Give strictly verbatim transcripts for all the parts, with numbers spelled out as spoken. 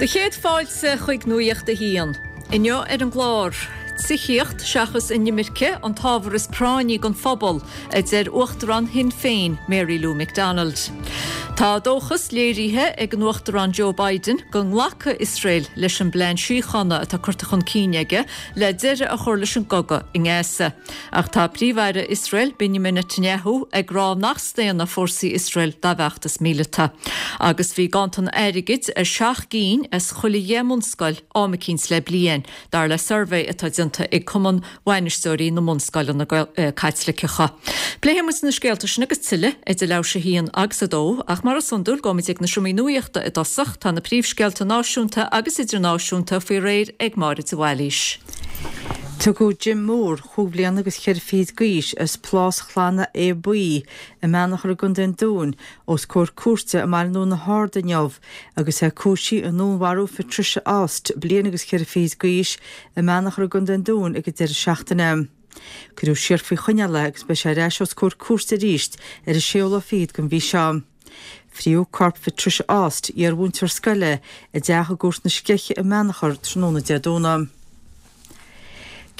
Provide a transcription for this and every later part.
Do chéad fáilte chuig Nuacht a hAon. Inniu ar an gclár. Tithíocht seachas inimirce an t-ábhar is práinní don phobal, a deir Uachtarán Shinn Féin Mary Lou McDonald. Tá dóchas léirithe ag an Uachtarán Joe Biden go nglacfaidh Iosrael leis an bplean síochána atá curtha chun cinn aige le deireadh a chur leis an gcogadh i nGaza. Ach tá Príomh-Aire Iosrael Benjamin Netanyahu ag rá nach staonfaidh fórsaí Iosrael dá bhfeachtas míleata. Agus bhí ganntan airgid ar seacht gcinn as chuile dheich mbunscoil am eicínt le bliain, dar le suirbhé atá déanta ag Cumann Bhainisteoirí na mBunscoileanna Caitliceacha. Pléifidh muid na scéalta sin agus tuilleadh idir leathuair tar éis a haon agus a dó, ach mar is iondúil gabhfaimid ag na seomraí nuachta i dtosach tá na príomhscéalta náisiúnta agus idirnáisiúnta faoi réir ag Máire de Bhailís. Tugadh Jim Moore chúig bliana agus ceithre fichid d'aois as Plás Chlanna Aodha Buí i mBeannachar i gContae an Dúin os comhair cúirte i mBaile na hArd inniu agus é cúisithe i ndúnmharú Patricia Aust bliain agus ceithre fichid d'aois i mBeannachar i gContae an Dúin ag an deireadh seachtaine. Cuireadh siar faoi choinneáil é agus beidh sé ar ais os comhair cúirte arís ar an séú lá fichead den mhí seo. Fríothadh corp Patricia Aust iar-mhúinteoir scoile i dteach i gCúirt na Sceiche i mBeannachar tráthnóna Dé Domhnaigh.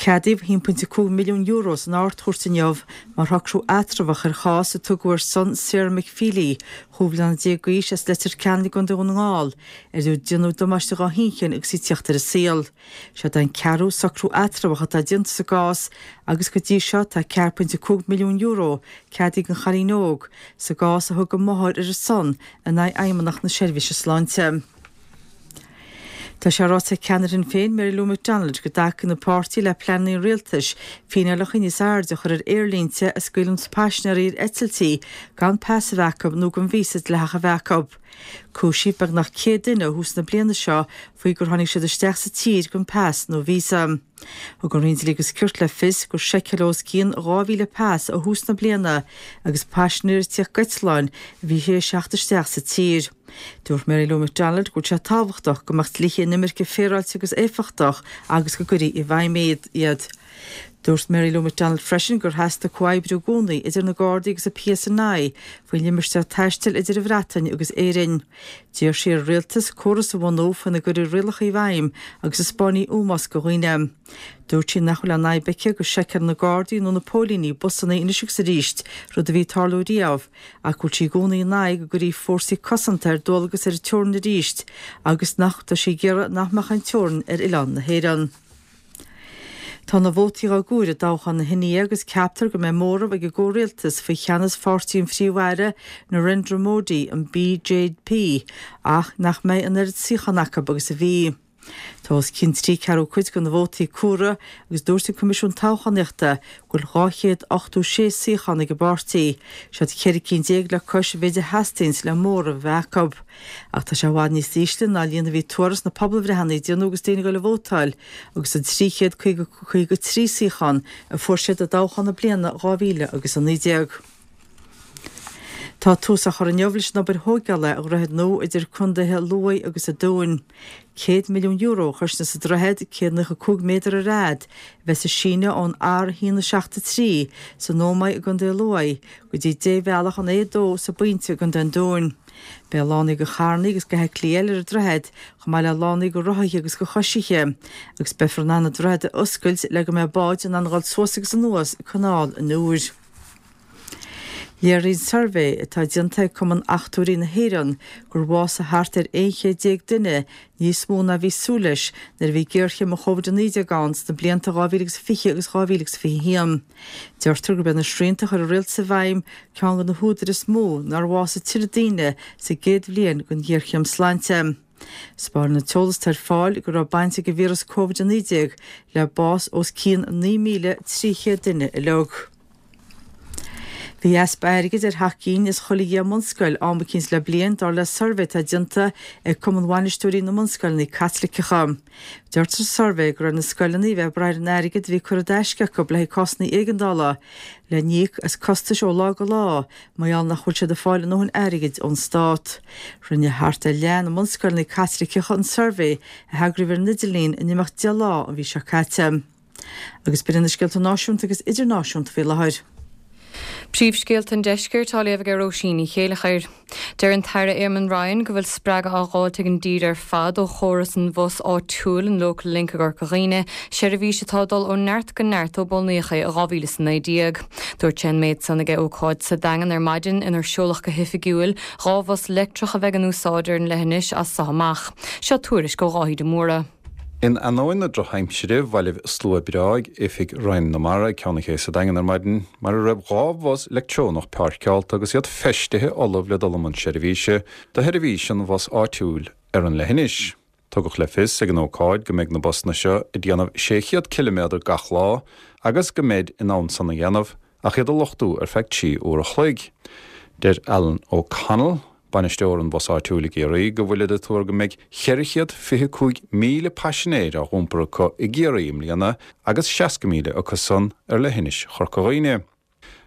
Ceadaíodh a haon pointe cúig milliún euro san Ard-Chúirt inniu mar shocrú eatramhach ar chás a tugadh ar son Sarah McFeely, chúig bliana déag d'aois as Leitir Ceanainn i gContae Dhún na nGall, ar déanadh damáiste dá hinchinn agus í ag tíocht ar an saol. Seo an ceathrú socrú eatramhach atá déanta sa gcás agus go dtí seo tá ceathair pointe cúig milliún euro ceadaithe don chailín óg sa gcás a thug a máthair ar a son in aghaidh Fheidhmeannacht na Seirbhíse Sláinte. Tá sé ráite ag ceannaire Shinn Féin Mary Lou McDonald go dtacaíonn an páirtí le pleananna an rialtais fíneálacha níos airde a chur ar aerlínte a scaoileann paisinéirí ar eitiltí gan pas a bheith acu nó gan víosa dleathach a bheith acu. Cúisíodh beagnach céad duine ó thús na bliana seo faoi gur tháinig siad isteach sa tír gan pas nó víosa. Thug an Roinn Dlí agus Cirt le fios gur seiceáladh os cionn dhá mhíle pas ó thús na bliana agus paisinéirí ag tíocht d'eitleáin a bhí tar éis teacht isteach sa tír. Dúirt Mary Lou McDonald go bhfuil sé tábhachtach go mbeadh dlíthe inimirce féaráilte agus éifeachtach agus go gcuirfí i bhfeidhm iad. Dúirt Mary Lou McDonald freisin gur theastaigh comhoibriú i gcónaí idir na Gardaí agus an PSNI faoin limistéar taistil idir an Bhreatain agus Éirinn. D'iarr sí ar an rialtas córas a bhunú faoina gcuirfí rialacha i bhfeidhm agus a spáinfeadh ómós do dhaoine. Dúirt sí nach bhfuil aon fhadhb aici go seiceálann na Gardaí nó na póilíní busanna anois agus arís rud a bhí ag tarlú riamh, ach go bhfuil sí i gcónaí in aghaidh go gcuirfí fórsaí cosanta ar dualgas ar an teorainn arís agus nach tá sí ag iarraidh nach mbeadh an teorainn ar oileán na hÉireann. Tá na vótaí á gcomhaireamh i dtoghchán na hIndia agus ceaptar go mbeidh móramh ag an gcomhrialtas faoi cheannas pháirtí an Phríomh-Aire Narendra Modi an BJP ach nach mbeidh an oiread suíochán acu agus a bhí. Tá os cionn trí ceathrú cuid de na vótaí comhairthe agus dúirt an Coimisiún Toghchánaíochta go bhfuil dhá chéad ochtó sé suíochán ag an bpáirtí, siad ceithre cinn déag le cois an mhéid a theastaíonn le móramh a bheith acu. Ach tá sé i bhfad níos ísle ná líon a bhí tuartha sna pobalbhreitheanna a déanadh agus daoine ag dul ag vótáil agus an trí chéad caoga trí suíochán a fuair siad i dtoghchán na bliana dhá mhíle agus a naoi déag. Tá tús á chur inniu leis an obair thógála ar dhroichead nua idir contaetha Lú agus an Dúin. Céad milliún euro a chosnós an droichead céad nócha cúig méadar ar fhad a bheas ag síneadh ón R a haon a seacht a trí san Ómaigh i gContae Lú go dtí débhealach an A dó sa bPointe i gContae an Dúin. Beidh lánaí do charranna agus d'fheithiclí eile ar an droichead chomh maith le lánaí do rothaithe agus do choisithe, agus beifear in ann an droichead a oscailt le go mbeidh báid in ann dul suas agus anuas canáil an Iúir. Léiríonn suirbhé atá déanta ag Cumann Achtúirí na hÉireann gur bhásaigh thart ar aon chéad déag duine níos mó ná bhí súil leis nuair a bhí géarchéim an Covid a naoi déag ann sna blianta dhá mhíle agus fiche agus dhá mhíle agus fiche haon. Deirtear gurb é na srianta a chuir an rialtas i bhfeidhm ceann de na húdair is mó nár bhásaigh tuilleadh daoine sa gcéad bhliain den ghéarchéim sláinte. Spáineann an t-eolas atá ar fáil go raibh baint ag an víreas Covid a naoi déag le bás os cionn naoi míle trí chéad duine uilig. Bhí easpa airgid ar sheacht gcinn as chuile dheich mbunscoil am eicínt le bliain dar le suirbhé atá déanta ag Cumann Bhainisteoirí na mBunscoileanna Caitliceacha. Deirtear sa suirbhé go raibh na scoileanna a bheith ag brath ar an airgead a bhí curtha i dtaisce acu le haghaidh cásanna éigeandála le n-íoc as costais ó lá go lá mar gheall nach bhfuil siad ag fáil a ndóthain airgid ón stát. Rinne thart ar leath na mbunscoileanna Caitliceacha an suirbhé a heagraíodh ar an idirlíon in imeacht deich lá an mhí seo caite. Agus b'in na scéalta náisiúnta agus idirnáisiúnta faoi láthair. Príomhscéalta an deiscirt á léamh ag Róisín Ní Chéileachair. Deir an tAire Eamon Ryan go bhfuil spreagadh á fháilt ag an dtír ar fad ó chóras an bhus áitiúil an Local Link i gCorca Dhuibhne, seirbhís atá ag dul ó neart go neart ó bunaíodh é i dhá mhíle is a naoi déag. Dúirt sé an méid san ag ócáid sa Daingean ar maidin inar seoladh go hoifigiúil dhá bhus leictreach a bheidh in úsáid ar an leithinis as so amach. Seo tuairisc ó Dháithí de Mórdha. In ainneoin na drochaimsire, bhailigh slua breá ag oifig Roinn na Mara ag Ceann an Ché sa Daingean ar maidin, mar a raibh dhá bhus leictreonach páirceáilte agus iad feistithe ullamh le dul i mbun seirbhíse do sheirbhís an bhus áitiúil ar an leithinis. Tugadh le fios ag an ócáid go mbeidh na busanna seo ag déanamh sé chéad ciliméadar gach lá agus go mbeid in ann san a dhéanamh ach iad a luchtú ar feadh trí uair a chloig. Deir Alan O'Connell, bainisteoir an bhus áitiúil i gCiarraí, go bhfuilid ag tuar go mbeidh ceithre chéad fiche cúig míle paisinéir á dh'iompar acu i gCiarraí i mbliana agus seasca míle acu san ar leithinis Chorca Dhuibhne.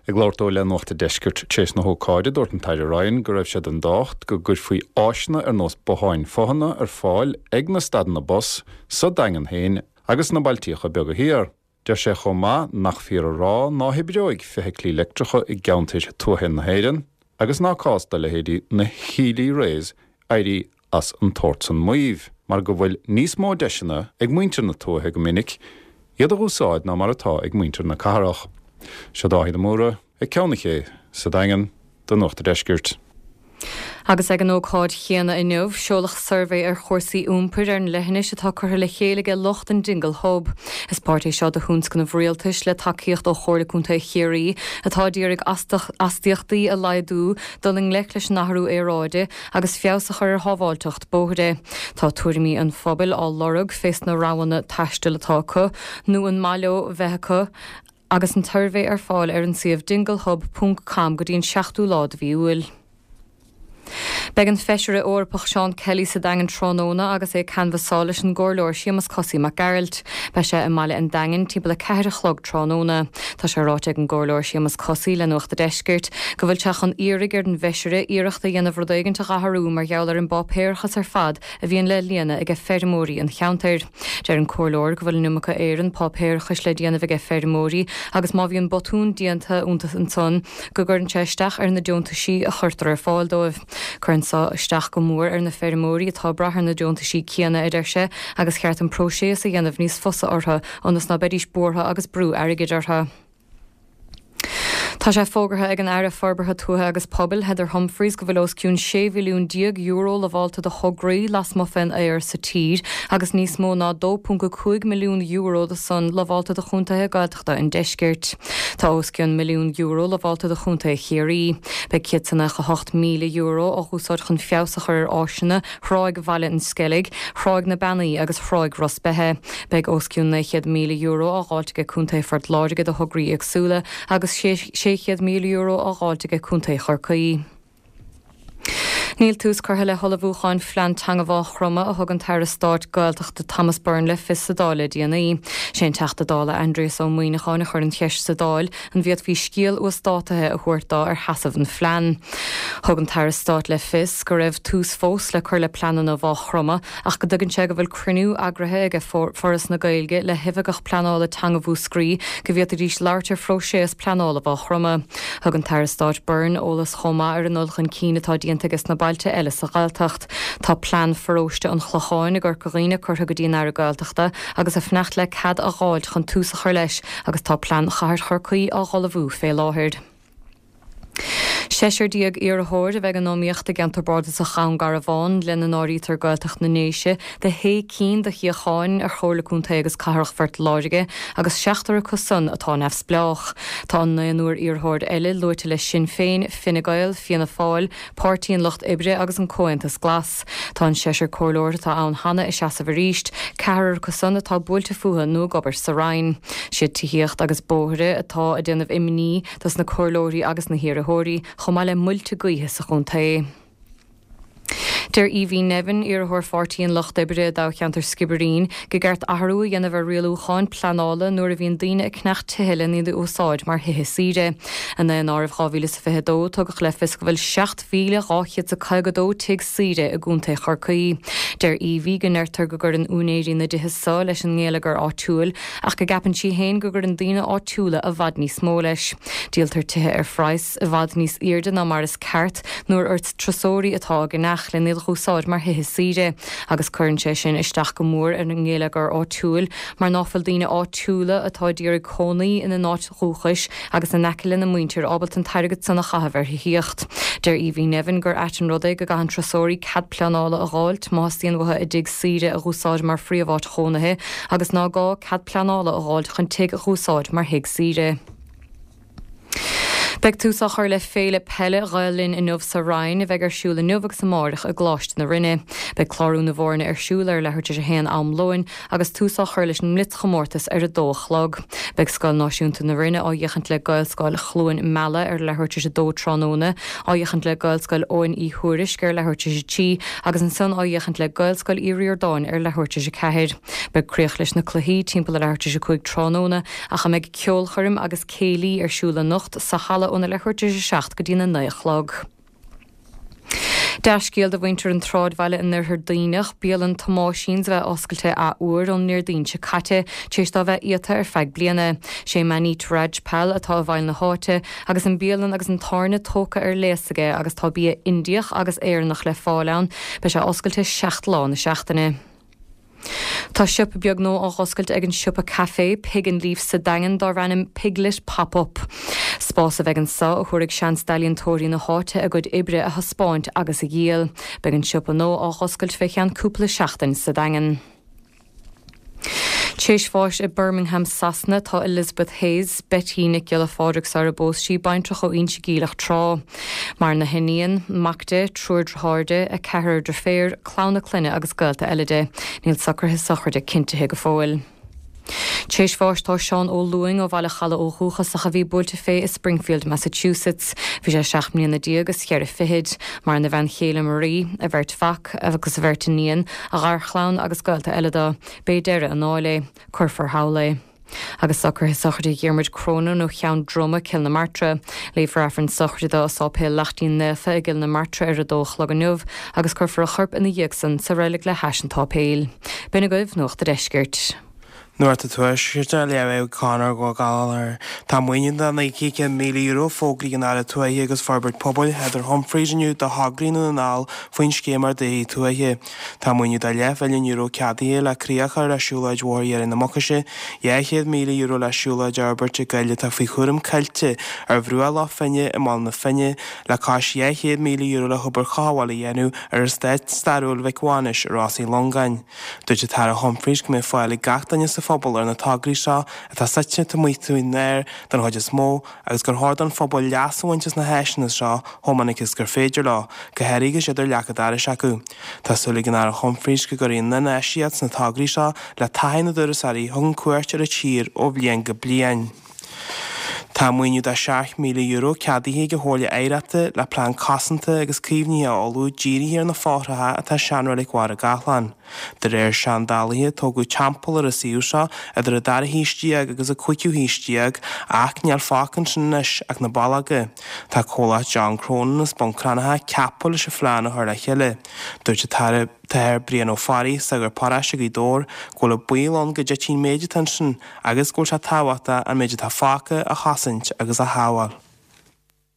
Ag labhairt dó le Nuacht an Deiscirt tar éis na hócáide, dúirt an tAire Ryan go raibh sé den dtábhacht go gcuirfí áiseanna ar nós botháin fothaine ar fáil ag na stadanna bus sa Daingean féin agus sna bailtíocha beaga thiar. Deir sé chomh maith nach fíor a rá ná hoibreoidh feithiclí leictreacha i gceantair tuaithe na hÉireann agus ná cás do leithéidí na Healy Raes éirí as an tsórt san maímh, mar go bhfuil níos mó deiseanna ag muintir na tuaithe go minic iad a dh'úsáid ná mar atá ag muintir na cathrach. Seo Dáithí de Mórdha ag Ceann an Ché sa Daingean do Nuacht an Deiscirt. Agus ag an ócáid chéanna inniu, seoladh suirbhé ar chúrsaí iompair ar an leithinis atá curtha le chéile ag lucht an Dingle Hub. Is páirt é seo de thionscnamh rialtais le tacaíocht ó Chomhairle Contae Chiarraí atá ag iarraidh astaíochtaí a laghdú, dul i ngleic leis an athrú aeráide agus feabhas a chur ar shábháilteacht bóithre. Tá tuairimí an phobail á lorg fés na roghanna taistil atá acu nó an maith leo bheith acu agus an tsuirbhé ar fáil ar an suíomh dinglehub ponc com go dtí an seachtú lá de mhí Iúil. Beidh an Feisire Eorpach Seán Kelly sa Daingean tráthnóna agus é ag canbhasáil leis an gComhairleoir Séamus Cosaí Mac Gearailt. Beidh sé i mBaile an Daingin timpeall a ceathair a chlog tráthnóna. Tá sé ráite ag an gComhairleoir Séamus Cosaí le Nuacht a' Deiscirt go bhfuil sé chun iarraidh ar an bhFeisire iarracht a dhéanamh rud éigint a dh'athrú mar gheall ar an bpáipéarachas ar fad a bhíonn le líonadh aige feirmeoirí an cheantair. Deir an Comhairleoir go bhfuil an iomarca éireann páipéarachais le déanamh aige feirmeoirí agus má bhíonn botún déanta iontu ansan go gcuireann sé isteach ar na deontaisí a chuirtear ar fáil dóibh. Cuireann so isteach go mór ar na feirmeoirí atá ag brath ar na deontaisí céanna, a deir sé, agus cheart an próiseas a dhéanamh níos fusa orthu ionas ná beidís buartha agus brú airgid orthu. Tá sé fógartha ag an Aire Forbartha Tuaithe agus Pobail, Heather Humphreys, go bhfuil os cionn sé mhilliún déag euro lamhálta do thograí lasmuigh fén aer sa tír agus níos mó ná dó ponc a cúig milliún euro de san lamhálta do chontaetha Gaeltachta an deiscirt. Tá os cionn milliún euro lamhálta do chontae Chiarraí. Beidh céad is nócha a hocht míle euro á úsáid chun feabhas a chur ar áiseanna Thráigh Bhaile an Sceilg, Thráigh na Beannaí agus Thráigh Ros Beithe. Beidh os cionn naoi chéad míle euro á dháilt aige Contae Phort Láirge do thograí éagsúla agus sé sé chéad míle euro á dháilt aige Contae Chorcaí. Níl tús curtha le hullmhúcháin phlean teanga Mhaigh Chromtha a thug an tAire Stáit Gaeltachta Thomas Byrne le fios sa Dáil le déanaí. Sé an Teachta Dála Aindrias Ó Muimhneacháin a chuir an cheist sa Dáil an bhféadfaí scéal uasdátaithe a thabhairt dó ar sheasamh an phlean. Thug an tAire Stáit le fios go raibh tús fós le cur le pleananna Mhaigh Chromtha ach go dtuigeann sé go bhfuil cruinniú eagraithe aige Foras na Gaeilge le hOifigeach Pleanála Teanga Mhúscraí go bhféadfaidís labhairt ar phróiseas pleanála Mhaigh Chromtha. Thug an tAire Stáit Byrne eolas chomh maith ar an dul chun cinn atá déanta aige sna bailte eile sa Ghaeltacht. Tá plean pharóiste an Chlocháin i gCorca Dhuibhne curtha go dtí an Aire Gaeltachta agus ag fanacht le cead a dh'fháilt chun tús a chur leis agus tá plean Chathair Chorcaí á dh'ullmhú fé láthair. Seisear déag iarrthóir a bheidh in iomaíocht i gceantar bardasach Dhún Garbhán, lena n-áirítear Gaeltacht na nDéise, do shé cinn de shuíocháin ar Chomhairle Contae agus Cathrach Phort Láirge agus seachtar acu san atá neamhspleách. Tá an naonúr iarrthóir eile luaite le Sinn Féin, Fine Gael, Fianna Fáil, Páirtí an Lucht Oibre agus an Comhaontas Glas. Tá an seisear comhairleoir atá ann cheana ag seasamh arís, ceathrar acu san atá buailte fúthu nó ag obair sa Roinn. Siad tithíocht agus bóithre atá ag déanamh imní dos na comhairleoirí agus na hiarrthóirí, chomh maith le muilte gaoithe sa chontae. Deir Evie Nevin, iarrthóir Pháirtí an Lucht Oibre i dtoghcheantar Skibbereen, gur cheart athrú a dhéanamh ar rialúcháin pleanála nuair a bhíonn daoine ag ceannach tithe lena iad a úsáid mar thithe saoire. I nDaonáireamh dhá mhíle is fiche a dó, tugadh le fios go bhfuil seacht mhíle dhá chéad is caoga a dó tigh saoire i gContae Chorcaí. Deir Evie go ndeirtear go gcuireann úinéirí na dtithe seo leis an ngeilleagar áitiúil ach go gceapann sí féin go gcuireann daoine áitiúla i bhfad níos mó leis. Díoltar tithe ar phraghas i bhfad níos airde ná mar is ceart nuair gur turasóirí atá á gceannach lena iad a dh'úsáid mar thithe saoire agus cuireann sé sin isteach go mór ar an ngeilleagar áitiúil mar ná fuil daoine áitiúla atá ag iarraidh cónaí ina n-áit dhúchais agus in aice lena muintir ábalta an t-airgead san a chaitheamh ar thithíocht. Deir Evie Nevin gur ait an rud é go gcaitheann turasóirí cead pleanála a dh'fháilt má theastaíonn uathu a dtigh saoire a dh'úsáid mar phríomháit chónaithe agus ná gá cead pleanála a dh'fháilt chun tigh a dh'úsáid mar thigh saoire. Beidh tús á chur le Féile Peile Ghael Linn inniu sa Rinn, a bheidh ar siúl inniu agus amárach i gColáiste na Rinne. Beidh clárú na bhfoirne ar siúl ar leathuair tar éis a haon am lóin agus tús á chur leis an mblitzchomórtas ar a dó a chlog. Beidh Scoil Náisiúnta na Rinne á fhéachaint le Gaelscoil Chluain Meala ar leathuair tar éis a dó tráthnóna, á fhéachaint le Gaelscoil Eoghain Uí Thuairisc ar leathuair tar éis a trí agus ansan á fhéachaint le Gaelscoil Uí Ríordáin ar leathuair tar éis a ceathair. Beidh críoch leis na cluichí timpeall a leathuair tar éis a cúig tráthnóna ach a mbeidh ceolchoirm agus céilí ar siúl anocht sa halla óna leathuair tar éis a seacht go dtína naoi a chlog. Dea-scéal do mhuintir an tsráidbhaile in oirthear Duibhneach, bialann Thomáisín a bheith oscailte athuair ón nDéardaoin seo caite, tar éis dó bheith iata ar feadh bliana. Sé Maneet Rajpal atá i bhfeighil na háite, agus an bialann agus an tábhairne tógtha ar léas aige agus tá bia Indiach agus Éireannach le fáil ann. Beidh sé oscailte seacht lá na seachtaine. Tá siopa beag nua á oscailt ag an siopa caife Pig and Leaf sa Daingean darb ainm Piglet Pop-up. Spás a bheidh anseo a thabharfaidh seans d'ealaíontóirí na háite a gcuid oibre a thaispeáint agus a dhíol. Beidh an siopa nua á oscailt fé cheann cúpla seachtain sa Daingean. Tar éis bháis i Birmingham Sasana tá Elizabeth Hayes, Betty Nic Giolla Phádraig sara bpós sí baintreach ó Inse Geimhleach Trá. Maireann a hiníon, mac di, triúr dearthár di, a ceathrar deirféar, clann a clainne agus gaolta eile di. Níl socruithe sochraide cinntithe go fóill. Tar éis bháis tá Seán Ó Lúing ó Bhaile Chalaidh ó dhúchas ach a bhí buailte fé i Springfield, Massachusetts. Bhí sé seacht mbliana déag is cheithre fichid. Maireann a bhean chéile Marie, a bheirt mhac agus a bheirt iníon, a gharchlann agus gaolta eile dó. B'é deireadh a ndáil é. Cuirfear thall é. Agus socruithe sochraide Dhiarmuid Cronin ó Cheann Droma, Cill na Martra. Léifear Aifreann sochraide dó i Sáipéal Laichtín Naofa i gCill na Martra ar a dó a chlog inniu agus cuirfear a chorp ina dhiaidh san sa reilig le hais an tsáipéil. B'in agaibh Nuacht an Deiscirt. Nuacht an Tuaiscirt á léamh ag Conor Ó Gallchóir. Tá maoiniú de naoi gcéad míle euro fógraithe ag an Aire Tuaithe agus Forbairt Pobail, Heather Humphreys inniu do thograí i nDún na nGall faoin scéim Ardaithe Tuaithe. Tá maoiniú de leathmhilliún euro ceadaithe le críoch a chur le siúlóid Bhóthar Dheire na Mucaise, dhá chéad míle euro le siúlóid a fhorbairt i gcoill atá faoi chúram Coillte ar bhruach Loch Finne i mBaile na Finne, le cois dhá chéad míle euro le hobair chothabhála a dhéanamh ar eastát stairiúil Mhic Mhánais i Ros Uí Longáin. Dúirt an tAire Humphreys go mbeidh fáil ag gach duine sa phobal ar na tograí seo atá suite taobh amuigh faoin aer den chuid is mó agus gur chóir don phobal leas a bhaint as na háiseanna seo chomh minic is gur féidir leo, go háirithe agus iad ar leac an dorais acu. Tá súil ag an Aire Humphreys go gcuirfidh an infheistíocht sna tograí seo le taithí na dturasóirí a thugann cuairt ar an tír ó bhliain go bliain. Tá maoiniú de seacht míle euro ceadaithe ag an Chomhairle Oidhreachta le plean cosanta agus caomhnaithe a ullmhú dírithe ar na fothracha atá i seanreilig Bharra Gathlán. De réir seandálaithe, tógadh teampall ar an suíomh seo idir an dara haois déag agus an cúigiú haois déag ach níl fágtha ansin anois ach na ballóga. Tá comhlacht John Cronin as Bun Cranncha ceaptha leis an phlean a chur le chéile. Dúirt an tAire tAthair Brian Ó Fearraigh, sagart paróiste Ghaoth Dobhair, go bhfuil an baol ann go dtitfidh an méid atá ansin agus go bhfuil sé tábhachtach an méid atá fágtha a chosaint agus a shábháil.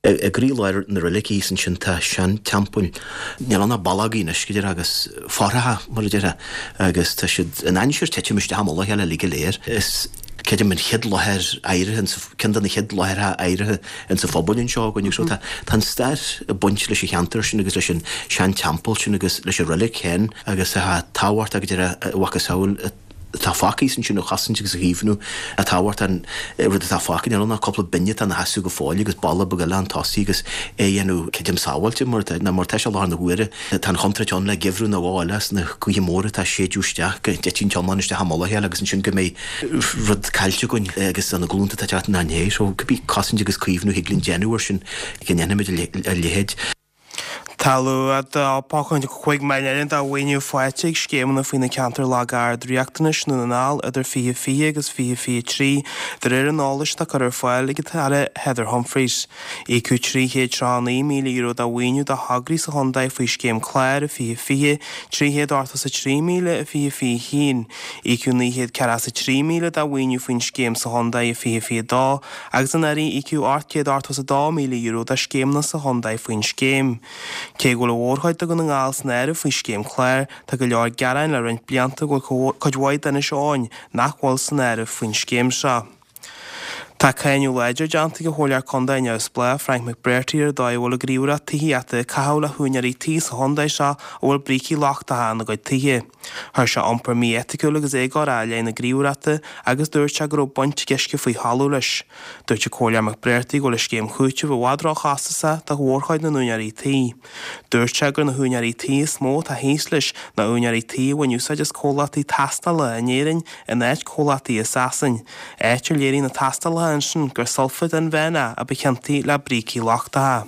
I gcroílár na reilige thíos ansin tá seanteampall. Níl ann ach ballógaí anois, go deimhin, agus fothracha, mar a déarfá, agus tá siad in ainsear titim isteach i mullach a chéile uilig go léir. Is creidim an chéad láthair adhartha ins, ceann de na chéad láithreacha adhartha ins an phobal anseo againn so tá tá an stair ag baint leis an cheantar sin agus leis an seanteampall sin agus leis an reilig féin agus tá tábhacht go deimhin a mhacasamhail atá fágtha ansin a chosaint agus a chaomhnú a tábhacht an rud atá fágtha níl ann ach cúpla binne atá ina sheasamh go fóill agus balla beag eile chun tosaigh agus é a dhéanamh creidim sábháilte mar ná mar tá sé i láthair na huaire tá an chontúirt ann le geimhreadh nó dhó eile is na gaoithe móra atá ag séideadh isteach go dtitfidh an t-iomlán isteach i mullach a chéile agus ansin go mbeidh rud caillte againn agus do na glúnta atá ag teacht inár ndiaidh. So cibé cosaint agus caomhnú thig linn déanamh air sin go ndéanfaimid a leithéid. Tá Tá a dó ponc cúig milliún de mhaoiniú faighte ag scéimeanna faoi na ceantair lag-ard-riachtanais i nDún na nGall idir fiche fiche agus fiche fiche trí de réir an eolais atá curtha ar fáil ag an tAire Heather Humphreys. Íocadh trí chéad tríocha naoi míle euro de mhaoiniú do thograí sa chontae faoi scéim clár i fiche fiche, trí chéad ochtó is a trí míle i fiche fiche haon. Íocadh naoi chéad ceathracha is a trí míle de mhaoiniú faoin scéim sa chontae i fiche fiche dó agus anuraidh íocadh ocht gcéad ochtó is a dó míle euro do scéimeanna sa chontae faoin scéim. Cé go bhfuil an mhórchuid de Dhún na nGall san áireamh faoi scéim clár, tá go leor gearáin le roinnt blianta go bhfuil cuid mhaith d'Inis Eoghain nach bhfuil san áireamh faoin scéim seo. Tá cáineadh láidir déanta ag an Chomhairleoir Contae neamhspleách Frank McBrearty ar an dóigh a bhfuil an Ghníomhaireacht Tithíochta ag caitheamh le húinéirí tí sa chontae seo a bhfuil brící lochtacha ina gcuid tithe. Chuir sé iompar mí-eiticiúil agus éagóra i leith na Gníomhaireachta agus dúirt sé go raibh baint ag uisce faoi thalamh leis. Dúirt an Comhairleoir McBrearty go bhfuil an scéim chúitimh i bhfad róchostasach do mhórchuid na n-úinéirí tí. Dúirt sé gur na húinéirí tí is mó atá thíos leis ná úinéirí tí a bhain úsáid as comhlachtaí tástála in Éirinn in áit comhlachtaí i Sasain. Áit ar léirigh na tástálacha ansin gur sulfat inmheánach a ba chiontaí le brící lochtacha.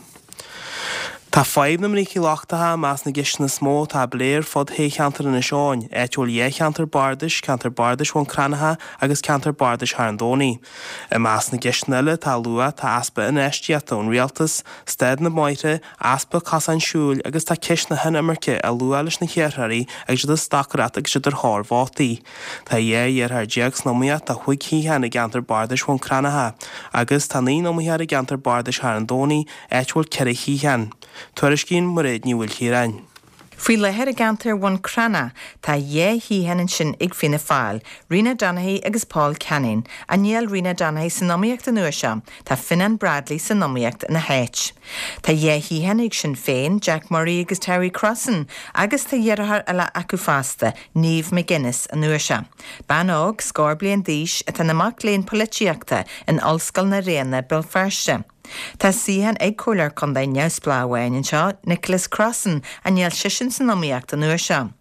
Tá fadhb na mbrící lochtacha i measc na gceisteanna is mó atá á bplé ar fud shé cheantar Inis Eoghain, áit a bhfuil dhá cheantar bardais, ceantar bardais Bhun Cranncha agus ceantar bardais Charn Domhnaigh. I measc na gceisteanna eile atá á lua tá easpa infheistíochta ón rialtas, staid na mbóithre, easpa cosáin siúil agus tá ceist na hinimirce á lua leis na hiarrthóirí agus iad ag stocaireacht agus iad ar thóir vótaí. Tá dhá iarrthóir déag san iomaíocht do chúig shuíochán i gceantar bardais Bhun Cranncha agus tá naoi n-iomaitheoir i gceantar bardais Charn Domhnaigh, áit a bhfuil ceithre shuíochán. Tuairiscíonn Mairéad Ní Mhaoilchiaráin. Faoi láthair i gceantar Bhun Cranncha tá dhá shuíochán ansin ag Fianna Fáil, Rena Donaghey agus Paul Canning. Ach níl Rena Donaghey san iomaíocht an uair seo, tá Fionnán Bradley san iomaíocht ina háit. Tá dhá shuíochán ag Sinn Féin, Jack Murray agus Terry Crossan, agus tá iarrthóir eile acu fosta, Niamh McGuinness an uair seo. Bean óg, scór bliain d'aois, atá ina mac léinn polaitíochta in Ollscoil na Ríona, Béal Feirste. Tá suíochán ag Comhairleoir Contae neamhspleách amháin anseo, Nicholas Crossan, ach níl seisean san iomaíocht an uair seo.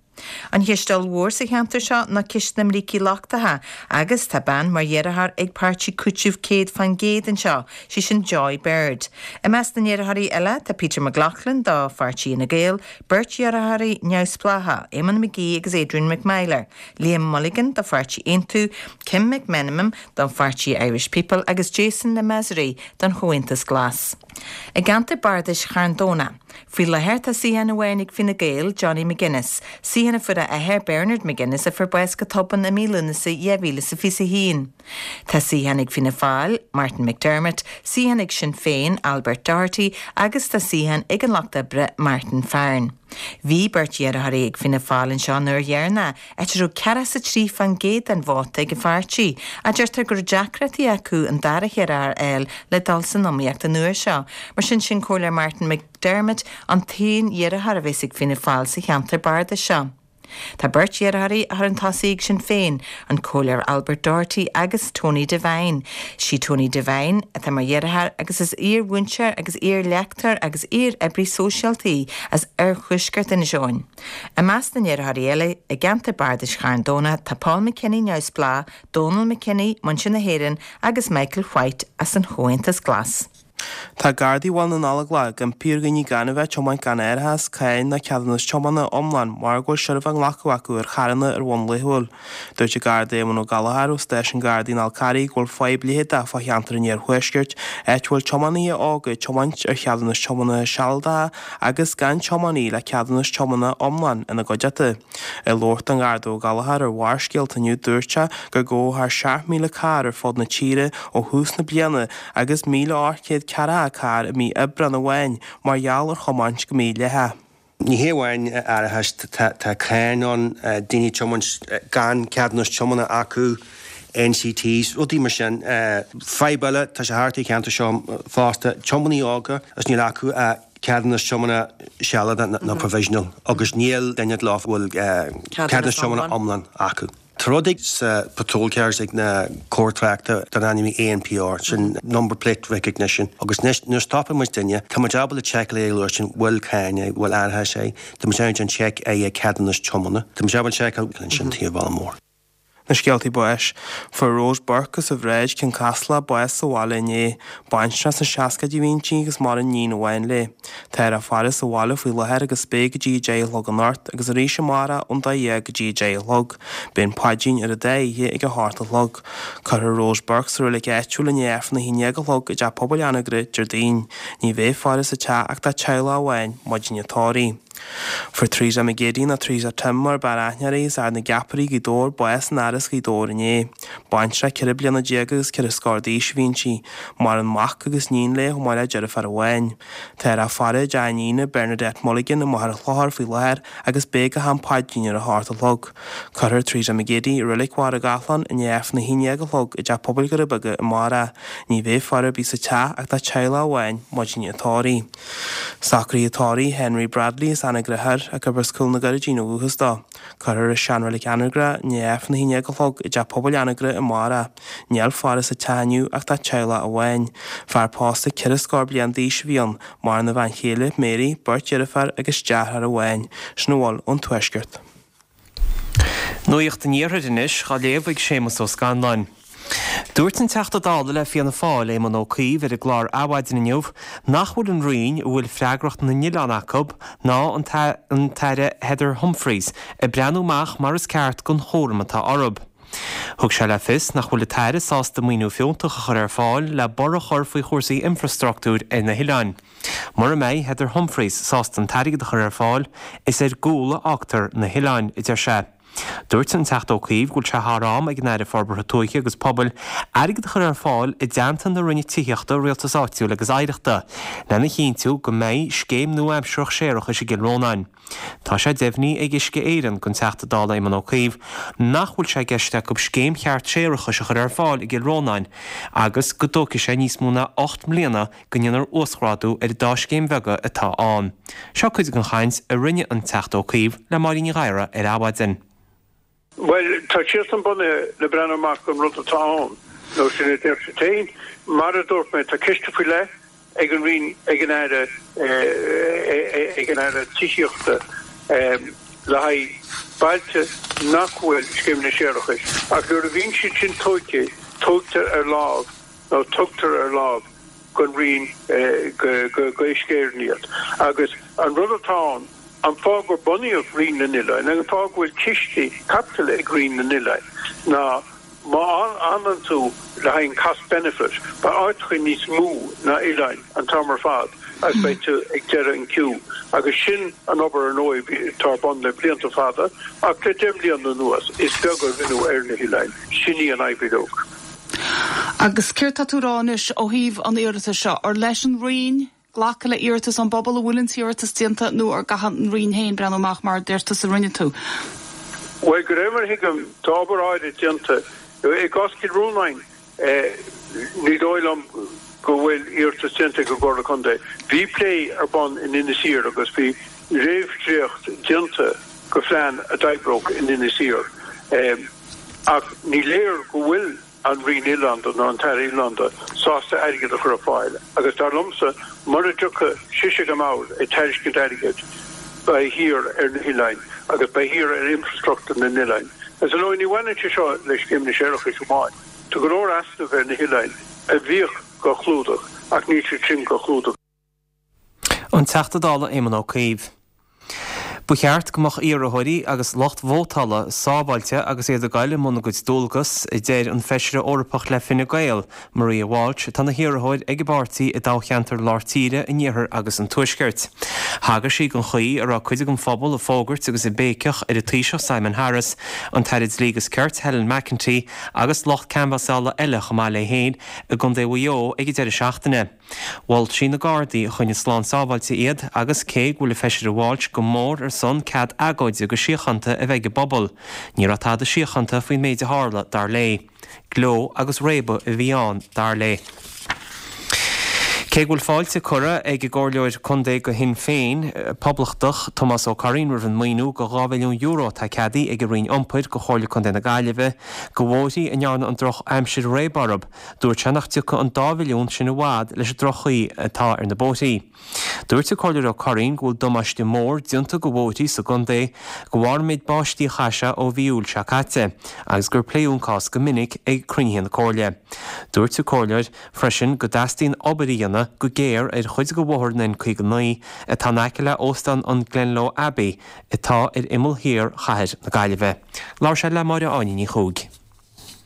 An cheist ollmhór sa cheantar seo ná ceist na mbrící lochtacha agus tá bean mar iarrthóir ag páirtí Cúiteamh céad faoin gcéad anseo, sí sin Joy Bird. I measc na n-iarrthóirí eile tá Peter McLaughlin do pháirtí Fhine Gael, beirt iarrthóirí neamhspleácha, Eamon McGee agus Adrian McMyler, Liam Mulligan do pháirtí Aontú, Kim McMenamin don pháirtí Irish People agus Jason Le Maisre don Chomhaontas Glas. I gceantar bardais Charn Domhnaigh. Faoi láthair tá suíochán amháin ag Fine Gael, Johnny McGuinness, suíochán a fuair a athair Bernard McGuinness a fuair bás go tobann i mí Lúnasa dhá mhíle is a fiche a haon. Tá suíochán ag Fianna Fáil, Martin McDermott, suíochán ag Sinn Féin, Albert Doherty agus tá suíochán ag an Lucht Oibre, Martin Farren. Bhí beirt iarrthóirí ag Fianna Fáil anseo an uair dheireanach, áit a raibh ceathracha is a trí faoin gcéad den vóta ag an pháirtí, ach deirtear go raibh deacrachtaí acu an dara hiarrthóir a fháil le dul san iomaíocht an uair seo. Mar sin sin Comhairleoir Martin McDermott an t-aon iarrthóir a bheas ag Fianna Fáil sa cheantar bardais seo. Tá beirt iarrthóirí chun tosaigh ag Sinn Féin, an Comhairleoir Albert Doherty agus Tony Devine. Sí Tony Devine atá mar iarrthóir agus is iar-mhúinteoir agus iar-léachtóir agus iar-oibrí sóisialta í as oirthuaisceart Inis Eoghain. I measc na n-iarrthóirí eile i gceantar bardais Charn Domhnaigh tá Paul McKinney neamhspleách, Donal McKinney, Muintir na hÉireann agus Michael White as an Chomhaontas Glas. Tá Gardaí Bhaile na nGallóglach ag impí ar dhaoine gan a bheith ag tiomáint gan árachas, cáin ná ceadúnas tiomána iomlán mar go bhfuil seirbhé á nglacadh acu ar charranna ar bhonn laethúil. Dúirt an Garda Éamon Ó Gallchóir ó stáisiún Gardaí an Fhál Carraigh go bhfuil fadhb leitheadach fá cheantar an iarthuaiscirt, áit a bhfuil tiománaithe óga ag tiomáint ar cheadúnas tiomána sealadacha agus gan tiománaí le ceadúnas tiomána iomlán ina gcuideachta. Ag labhairt don Gharda Ó Gallchóir ar Bharrscéalta inniu dúirt sé gur gabhadh thar seacht míle carr ar fud na tíre ó thús na bliana agus míle ocht gcéad ceathracha carr i mí Aibreán amháin mar gheall ar thiomáint go mídhleathach. Ní hé amháin árachas, tá cáin ann, daoine ag tiomáint gan ceadúnas tiomána acu, NCTs, rudaí mar sin. Fadhb eile, tá sé thart ar an cheantar seo fosta, tiománaí óga is níl acu ach ceadúnas tiomána sealadach nó provisional agus níl duine leo a bhfuil ceadúnas tiomána iomlán acu. Tá rud ag sa patrol cars ag na cóir tráchta dar ainm ANPR, sin number plate recognition, agus anois nuair a stopann muid duine, tá muid ábalta seiceáil é a sin bhfuil cáin é, bhfuil árachas é, tá muid ann seic é ceadúnas tiomána, tá muid ábalta seiceáil ansin taobh mór. Na scéaltaí báis. Fuair Rose Burke as an Bhráid, Cionn Caslach, bás sa bhaile inné. Baintreach sna seascaidí a bhí inti agus maireann iníon amháin léi. Táthar á faire sa bhaile faoi láthair agus beidh go dtí a deich a chlog anocht agus arís amárach ón dó dhéag go dtí a deich a chlog. Beidh an paidrín ar an dá oíche ag a hocht a chlog. Cuirfear Rose Burke sa reilig áitiúil i ndiaidh Aifreann a haon déag a chlog i dTeach Pobail Anagaire, Déardaoin. Ní bheidh faire sa teach ach dá teaghlach amháin maidin an tórraimh. Fuair Teresa McGeady nó Teresa Tim mar b'fhearr aithne uirthi as Ard na gCeapairí, Gaoth Dobhair, bás in Áras Ghaoth Dobhair inné. Baintreach ceithre bliana déag agus ceithre scór d'aois a bhí inti. Maireann mac agus níon léi chomh maith le deirfiúr amháin. Táthar á faire i dteach a iníne, Bernadette Mulligan, i Machaire Chlochair faoi láthair agus beidh go ham paidrín ar a hocht a chlog. Cuirfear Teresa McGeady i Reilig Mhachaire Gathlán i ndiaidh Aifreann a haon déag a chlog i dTeach Pobail Dhoirí Beaga amárach. Ní bheidh faire ar bith sa teach ach dá teaghlach amháin maidin an tórraimh. Socruithe tórraimh Henry Bradley as Anagaire Thoir, ach gurb as Cúl na gCurraidhín ó dhúchas dó. Cuirfear i seanreilig Anagaire i ndiaidh Aifreann a haon déag a chlog i dTeach Pobail Anagaire amárach. Níl faire sa teach inniu ach dá teaghlach amháin. Fear pósta ceithre scór bliain d'aois a bhí ann, maireann a bhean chéile, Mary, beirt dheirfiúr agus deartháir amháin. Sin a bhfuil ón Tuaisceart. Nuacht an Iarthair anois, á léamh ag Séamus Ó Scanláin. Dúirt an Teachta Dála le Fianna Fáil, Éamon Ó Cuív, ar an gclár Adhmhaidin inniu nach bhfuil an Roinn a bhfuil freagracht na n-oileán acu ná an tAire Heather Humphreys ag breathnú amach mar is ceart don chúram atá orthu. Thug sé le fios nach bhfuil an tAire sásta maoiniú fiúntach a chur ar fáil le borradh a chur faoi chúrsaí infreastruchtúir ar na hoileáin. Mura mbeidh Heather Humphreys sásta an t-airgead a chur ar fáil, is ar gcúl a fhágtar na hoileáin, a deir sé. Dúirt an Teachta Ó Cuív go bhfuil sé thar am ag an Aire Forbartha Tuaithe agus Pobail airgead a chur ar fáil i dteannta na Roinne Tithíochta, Rialtais Áitiúil agus Oidhreachta lena chinntiú go mbeidh scéim nua-aimsearach séarachais i gCill Rónáin. Tá sé deimhnithe ag Uisce Éireann don Teachta Dála Éamon Ó Cuív nach bhfuil sé i gceist acu scéim cheart séarachais a chur ar fáil i gCill Rónáin agus go dtógfaidh sé níos mó ná ocht mbliana go ndéanfar uasghrádú ar an dá scéim bheaga atá ann. Seo cuid den chaint a rinne an Teachta Ó Cuív le Máirín Ní Ghadhra ar Adhmhaidin. Bhuel, tá siadsan bunaithe le breathnú amach don rud atá ann, nó sin a deir siad féin. Mar a dúirt mé, tá ciste faoi leith ag an Roinn, ag an Aire, ag an Aire Tithíochta le haghaidh bailte nach bhfuil scéimeanna séarachais, ach nuair a bhíonn siad sin tógtha, tógtar ar láimh nó tugtar ar láimh don Roinn, go Uisce Éireann iad. Agus an rud atá ann, an fáth gur bunaíodh Roinn na nOileán, an fáth go bhfuil cistí caipitil ag Roinn na nOileán ná má fhanann tú le haghaidh an cost benefit, beidh áiteacha níos mó ná oileáin an t-am ar fad agus beidh tú ag deireadh an queue. Agus sin an obair ar ndóigh atá ar bun le blianta fada ach le deich mbliana anuas is beag a rinneadh ar na hoileáin. Sin í an fhadhb uilig. Agus céard tá tú a rá anois ó thaobh an iarratais seo? Ar leis an Roinn glacadh le iarratas ón bpobal, an bhfuil an t-iarratas déanta nó ar gcaithfidh an Roinn féin breathnú amach mar a deir tusa a rinne tú? Bhuel, de réir mar a thuigim, tá obair áirid déanta. I gcás Chill Rónáin, ní dóigh liom go bhfuil iarratas déanta ag an gComhairle Contae. Bhí plé ar bun in Inis Oírr agus bhí réamhdhréacht déanta de phlean a d'oibreodh in Inis Oírr. Ach ní léir go bhfuil an Roinn Oileánda nó an tAire Oileánda sásta airgead a chur ar fáil agus dar liomsa mura dtiocfaidh sise go mbord ag tairiscint airgid beidh thiar ar na hoileáin agus beidh thiar ar infrastruchtúr na n-oileáin. Agus ar ndóigh ní bhaineann sé seo le scéimeanna séarachais amháin. Tá go leor easnamh ar na hoileáin a bhíodh dhá chlúdach ach níl siad sin dhá chlúdach. An Teachta Dála Éamon Ó Cuív. Ba cheart go mbeadh iarrthóirí agus lucht vótála sábháilte agus iad ag goil i mbun a gcuid dualgas, a deir an Feisire Eorpach le Fine Gael, Maria Walsh, atá ina hiarrthóir ag an bpáirtí i dtoghcheantar Lár Tíre, an Iarthair agus an Tuaiscirt. Thagair sí don chaoi a raibh cuid den phobal ag fógairt agus ag béiceach ar an Taoiseach Simon Harris, an tAire Dlí agus Cirt Helen McEntee agus lucht canbhasála eile chomh maith léi féin i gContae Mhaigh Eo ag an deireadh seachtaine. Mhol sí na Gardaí a choinnigh slán sábháilte iad agus cé go bhfuil an Feisire Walsh go mór ar son cead agóide go síochánta a bheith ag an bpobal, ní raibh tada síochánta faoin méid a tharla, dar léi. Gleo agus réabadh a bhí ann, dar léi. Cé go bhfuil fáilte curtha ag an gComhairleoir Contae do Shinn Féin, Poblachtach, Tomás Ó Curraoin roimh an maoiniú de dhá mhilliún euro atá ceadaithe ag an Roinn Iompair do Chomhairle Contae na Gaillimhe do bhóithrí a ndearna an drochaimsir réab orthu, dúirt sé nach dtiocfaidh an dá mhilliún sin i bhfad leis an droch-chaoi atá ar na bóithrí. Dúirt an Comhairleoir Ó Curraoin go bhfuil damáiste mór déanta do bhóithrí sa gcontae de bharr an méid báistí a chaith sé ó mhí Iúil seo caite agus gur pléadh an cás go minic ag cruinnithe na Comhairle. Dúirt an Comhairleoir freisin go dteastaíonn obair a dhéanamh go géar ar chuid de bhóthar an N caoga naoi atá in aice le Óstán an Glenlo Abbey atá ar imeall thiar chathair na Gaillimhe. Labhair sé le Máire Áine Ní Chuaig.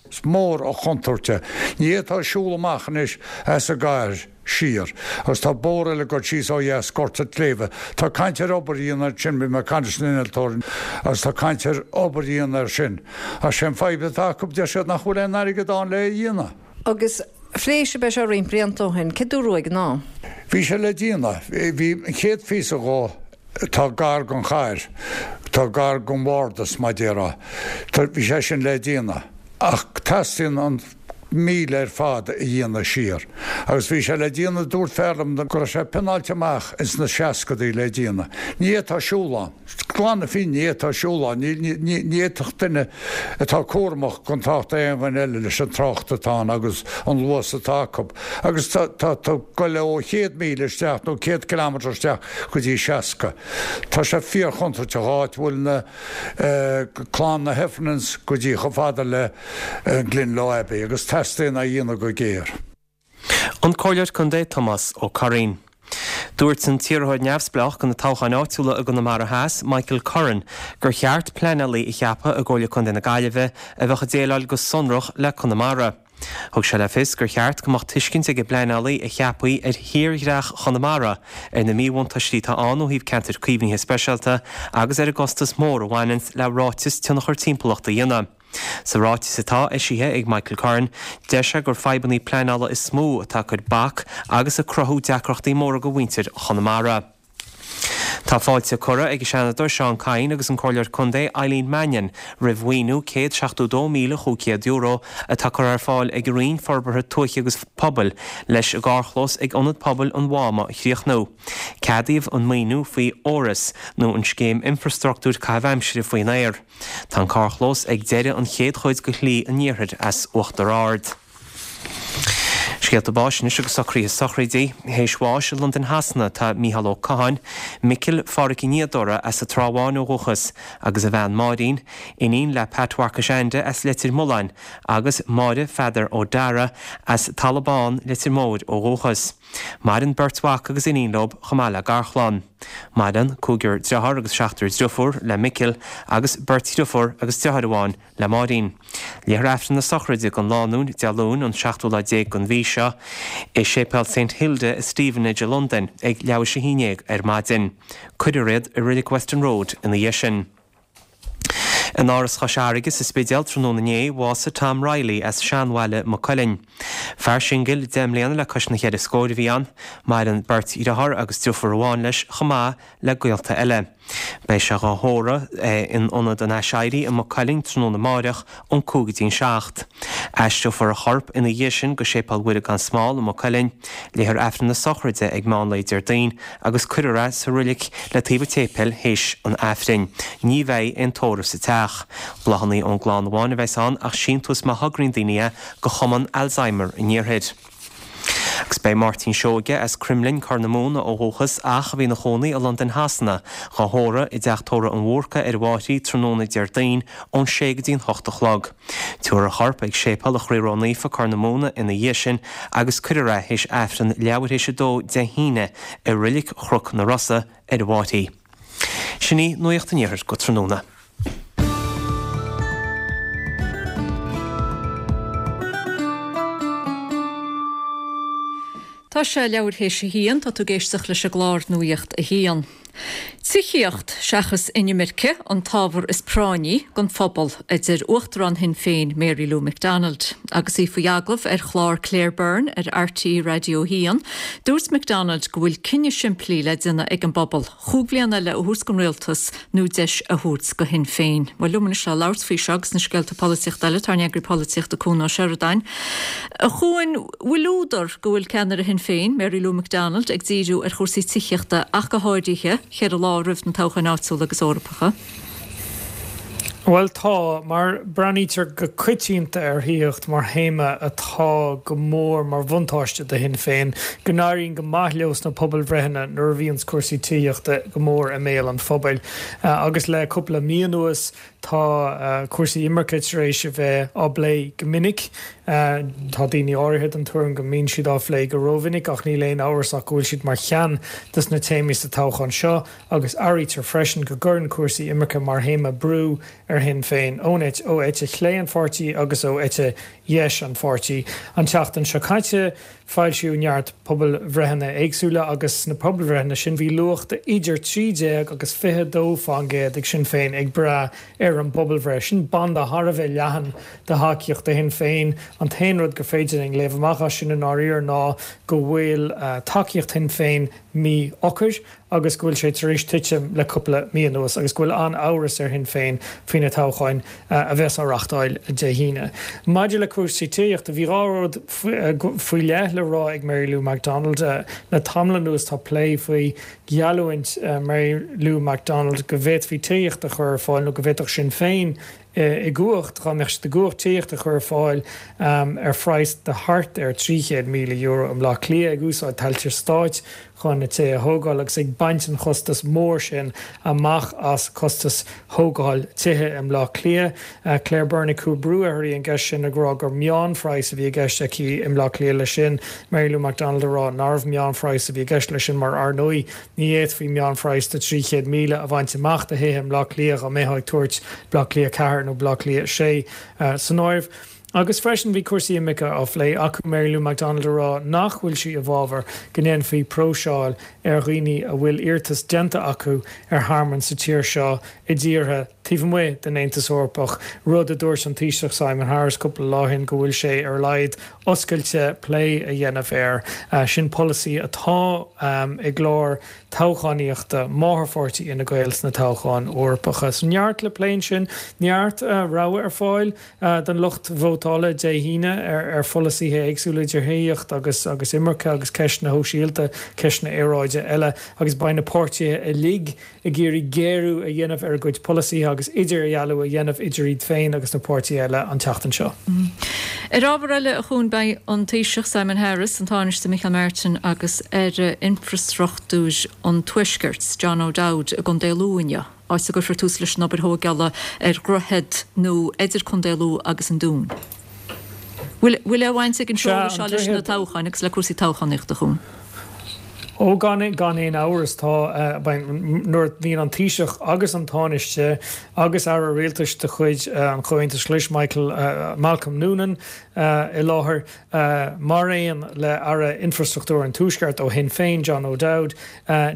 Is mór an chontúirt é. Ní fhéadfá siúl amach anois as an gcathair siar. Agus tá bóthar eile ag dul síos ó dheas, Gort an tSléibhe. Tá caint ar obair a dhéanamh ansin, bhí mé ag caint leis an innealtóir agus tá caint ar obair a dhéanamh air sin. Ach sé an fadhb atá acu, deir siad nach bhfuil aon airgead ann le é a dhéanamh. Agus phléigh sibh é seo roinnt blianta ó shin, céard a dúradh ag an am? Bhí sé le déanamh. Bhí an chéad phíosa dhó atá gar don chathair, atá gar don bhardas, mar a déarfá. Bhí sé sin le déanamh. Ach teastaíonn an míle ar fad a dhéanamh siar. Agus bhí sé le déanamh, dúirt fear liom go raibh sé pleanáilte amach ins na seascadaí le déanamh. Ní fhéadfá siúl ann. Glan na fírinne, ní fhéadfá siúl ann. Ní, ní, ní fhéadfadh duine atá cúramach gan trácht ar aon dhuine eile leis an trácht atá ann agus an luas atá acu. Agus tá, tá, tá goil ó chéad míle isteach nó céad kilometre isteach go dtí seasca. Tá sé fíorchontúirteach áit a bhfuil na clann na Heffernans go dtí chomh fada le Glenlo Abbey agus teastaíonn é a dhéanamh go géar. An Comhairleoir Contae Tomás Ó Curraoin. Dúirt an t-iarrthóir neamhspleách do na toghcháin áitiúla i gConamara Theas, Michael Curran, gur cheart pleanálaí a cheapadh i gComhairle Contae na Gaillimhe a bheadh ag déileáil go sonrach le Conamara. Thug sé le fios gur cheart go mbeadh tuiscint ag an bpleanálaí a cheapfaí ar thírdhreach Chonamara, ar na míbhuntáistí atá ann ó thaobh ceantair caomhnaithe speisialta agus ar an gcostas mór a bhaineanns le ráiteas tionchar timpeallachta a dhéanamh. Sa ráiteas atá eisithe ag Michael Curran, deir sé gur fadhbanna pleanála is mó atá ag cur bac agus ag cruthú deacrachtaí móra do mhuintir Chonamara. Tá fáilte curtha ag an Seanadóir Seán Kyne agus an Comhairleoir Contae Eileen Mannion roimh mhaoiniú céad seachtó dó míle chúig chéad euro atá curtha ar fáil ag an Roinn Forbartha Tuaithe agus Pobail leis an gcarrchlós ag Ionad Pobail an Mháma a chríochnú. Ceadaíodh an maoiniú faoi Eures, nó an Scéim Infrastruchtúir Caitheamh Aimsire faoin Aer. Tá an carrchlós ag deireadh an chéad chuid de Shlí an Iarthair as Uachtar Ard. Scéalta báis anois agus socruithe sochraide. Théis bháis i Londain Shasana tá Mícheál Ó Catháin, Micil Phádhraic Uí Niadóra as an Trá Bháin ó dhúchas, agus a bhean Máirín, iníon le Pat Mharcais Ainde as Leitir Mealláin, agus Máire Pheadair Ó Deara as Talamh Bán, Leitir Móir ó dhúchas. Maireann beirt mhac agus iníon leo chomh maith le garchlann. Maireann cúigear dearthár agus seachtar driofúr le Micil agus beirt dhriofúr agus deartháir amháin le Máirín. Léifear Aifreann na sochraide don lánúin Dé Luain an seachtú lá déag den mhí seo i Séipéal Saint Hilda i Stevenage i Londain ag leathuair théis a haon déag ar maidin. Cuirfear iad i Reilig Weston Road ina dhiaidh sin. In Áras Chois Fharraige sa Spidéal tráthnóna inné, bhásaigh Tom Reilly as Seanbhaile Maigh Cuilinn. Fear singil deich mbliana le cois na cheithre scóir a bhí ann. Maireann beirt dhearthár agus driofúr amháin leis chomh maith le gaolta eile. Beidh sé dhá thórramh in Ionad an Aiséirí i Maigh Cuilinn tráthnóna amáireach ón cúig go dtí an seacht. Aistreofar a chorp ina dhiaidh sin go Séipéal Mhuire gan Smál i Maigh Cuilinn. Léifear Aifreann na sochraide ag meán lae Déardaoin agus cuirfear é sa roilig le taobh an tséipéil théis an Aifrinn. Ní bheidh aon tórramh sa teach. Bláthanna ón gclann amháin a bheas ann ach síntiús má thograíonn daoine é go Chumann Alzheimer an Iarthair. Agus beidh Máirtín Seoige as Cromghlinn, Corr na Móna ó dhúchas ach a bhí ina chónaí i Londain Shasana, dhá thórramh i dTeach Tórraimh an Bhúrca ar an bhFairche tráthnóna Déardaoin ón sé go dtí an hocht a chlog. Tabharfar a chorp ag Séipéal an Chroí Ró-Naofa, Corr na Móna ina dhiaidh sin agus cuirfear é théis Aifreann leathuair théis a dó Dé hAoine i Roilig Chnoc na Rosa ar an bhFairche. Sin í Nuacht an Iarthair go tráthnóna. Tá sé leathuair théis a haon, tá tú ag éisteacht leis an gclár Nuacht a hAon. Tithíocht seachas inimirce an t-ábhar is práinní don phobal, a deir Uachtarán Shinn Féin Mary Lou McDonald. Agus í faoi agallamh ar chlár Claire Byrne ar RTÉ Raidió a haon, dúirt McDonald go bhfuil cinneadh simplí le déanamh ag an bpobal, chúig bhliana eile a thabhairt don rialtas nó deis a thabhairt do Shinn Féin. Bhuel liom anois le labhairt faoi seo agus na scéalta polaitíochta eile tá ár n-eagraí polaitíochta Cuan Ó Seireadáin. A Chuain, bhfuil údar go bhfuil ceannaire Shinn Féin, Mary Lou McDonald, ag díriú ar chúrsaí tithíochta ach go háirithe, ceithre lá roimh na toghcháin áitiúla agus Eorpacha? Bhuel tá, mar breathnaítear go coitianta ar thithíocht mar théama atá go mór mar bhuntáiste do Shinn Féin, go n-éiríonn go maith leo sna pobalbhreitheanna nuair a bhíonns cúrsaí tithíochta go mór i mbéal an phobail. Agus le cúpla mí anuas tá cúrsaí imirce tar éis a bheith á bplé go minic. Tá daoine áirithe den tuairim go mbíonn siad á phlé go rómhinic ach níl aon amhras ach go bhfuil siad mar cheann de na téamaí sa toghchán seo agus airítear freisin go gcuireann cúrsaí imirce mar théama brú ar Shinn Féin ón ó eite chlé an pháirtí agus ó eite dheis an pháirtí. An tseachtain seo caite, foilsíodh neart pobalbhreitheanna éagsúla agus sna pobalbhreitheanna sin bhí luach de idir trí déag agus fiche dó faoin gcéad ag Sinn Féin ag brath ar an bpobalbhreith. Sin banda thar a bheith leathan de thacaíocht do Shinn Féin. An t-aon rud gur féidir linn léamh amach as sin i ndáiríre ná go bhfuil tacaíocht Shinn Féin míshocair agus go bhfuil sé tar éis titim le cúpla mí anuas agus go bhfuil an-amhras ar Shinn Féin faoi na toghcháin a bheas á reáchtáil Dé hAoine. Maidir le cúrsaí tithíochta, bhí dhá rud faoi leith le rá ag Mary Lou McDonald. Le tamall anuas tá plé faoi gheallúint Mary Lou McDonald go bhféadfaí tithíocht a chur ar fáil nó go bhféadfadh Sinn Féin i gcumhacht, dá mbeadh siad i gcumhacht, tithíocht a chur ar fáil ar phraghas de thart ar trí chéad míle euro i mBleá Cliath, ag úsáid tailte stáit chun na tithe a thógáil agus ag baint an chostas mór sin amach as costas thógáil tithe i mBleá Cliath. Claire Byrne ag cur brú uirthi an gceist sin ag rá gur meánphraghas a bhí i gceist aici i mBleá Cliath leis sin, Mary Lou McDonald ag rá nárbh meánphraghas a bhí i gceist leis sin mar ar ndóigh ní fhéadfaí meánphraghas de trí chéad míle a bhaint amach do thithe i mBleá Cliath dá mbeifeá ag tabhairt Bleá Cliath ceathair nó Bleá Cliath sé san áireamh. Agus freisin bhí cúrsaí imirce á phlé acu, Mary Lou McDonald ag rá nach bhfuil sí i bhfabhar go ndéanfaí próiseáil ar dhaoine a bhfuil iarratas déanta acu ar thearmann sa tír seo i dtíortha taobh amuigh den Aontas Eorpach, rud a dúirt an Taoiseach Simon Harris cúpla lá ó shin go bhfuil sé ar a laghad oscailte plé a dhéanamh air. Sin polasaí atá i gclár toghchánaíochta máthairpháirtí Fhine Gael sna toghcháin Eorpacha. So neart le plé ansin, neart rogha ar fáil don lucht vótála Dé hAoine ar pholasaithe éagsúla idir thithíocht agus agus imirce agus ceisteanna shóisialta, ceisteanna aeráide eile agus beidh na páirtithe uilig ag iarraidh géarú a dhéanamh ar a gcuid polasaithe agus idirdhealú a dhéanamh idir iad féin agus na páirtithe eile an tseachtain seo. Ar ábhar eile, a Chuain, beidh an Taoiseach Simon Harris, an Tánaiste Micheál Martin agus Aire Infreastruchtúir an Tuaiscirt, John O'Dowd i gContae Lú inniu, áit a gcuirfear tús leis an obair thógála ar dhroichead nua idir Contae Lú agus an Dún. Bhfuil aon bhaint ag an seoladh seo leis na toghcháin agus le cúrsaí toghchánaíochta, a Chuain? Ó, gan gan aon amhras, tá, nuair a bhíonn an Taoiseach agus an Tánaiste agus Aire Rialtais de chuid an Chomhaontais Ghlais, Michael, Malcolm Noonan, i láthair, mar aon le Aire Infreastruchtúir an Tuaiscirt ó Shinn Féin, John O'Dowd,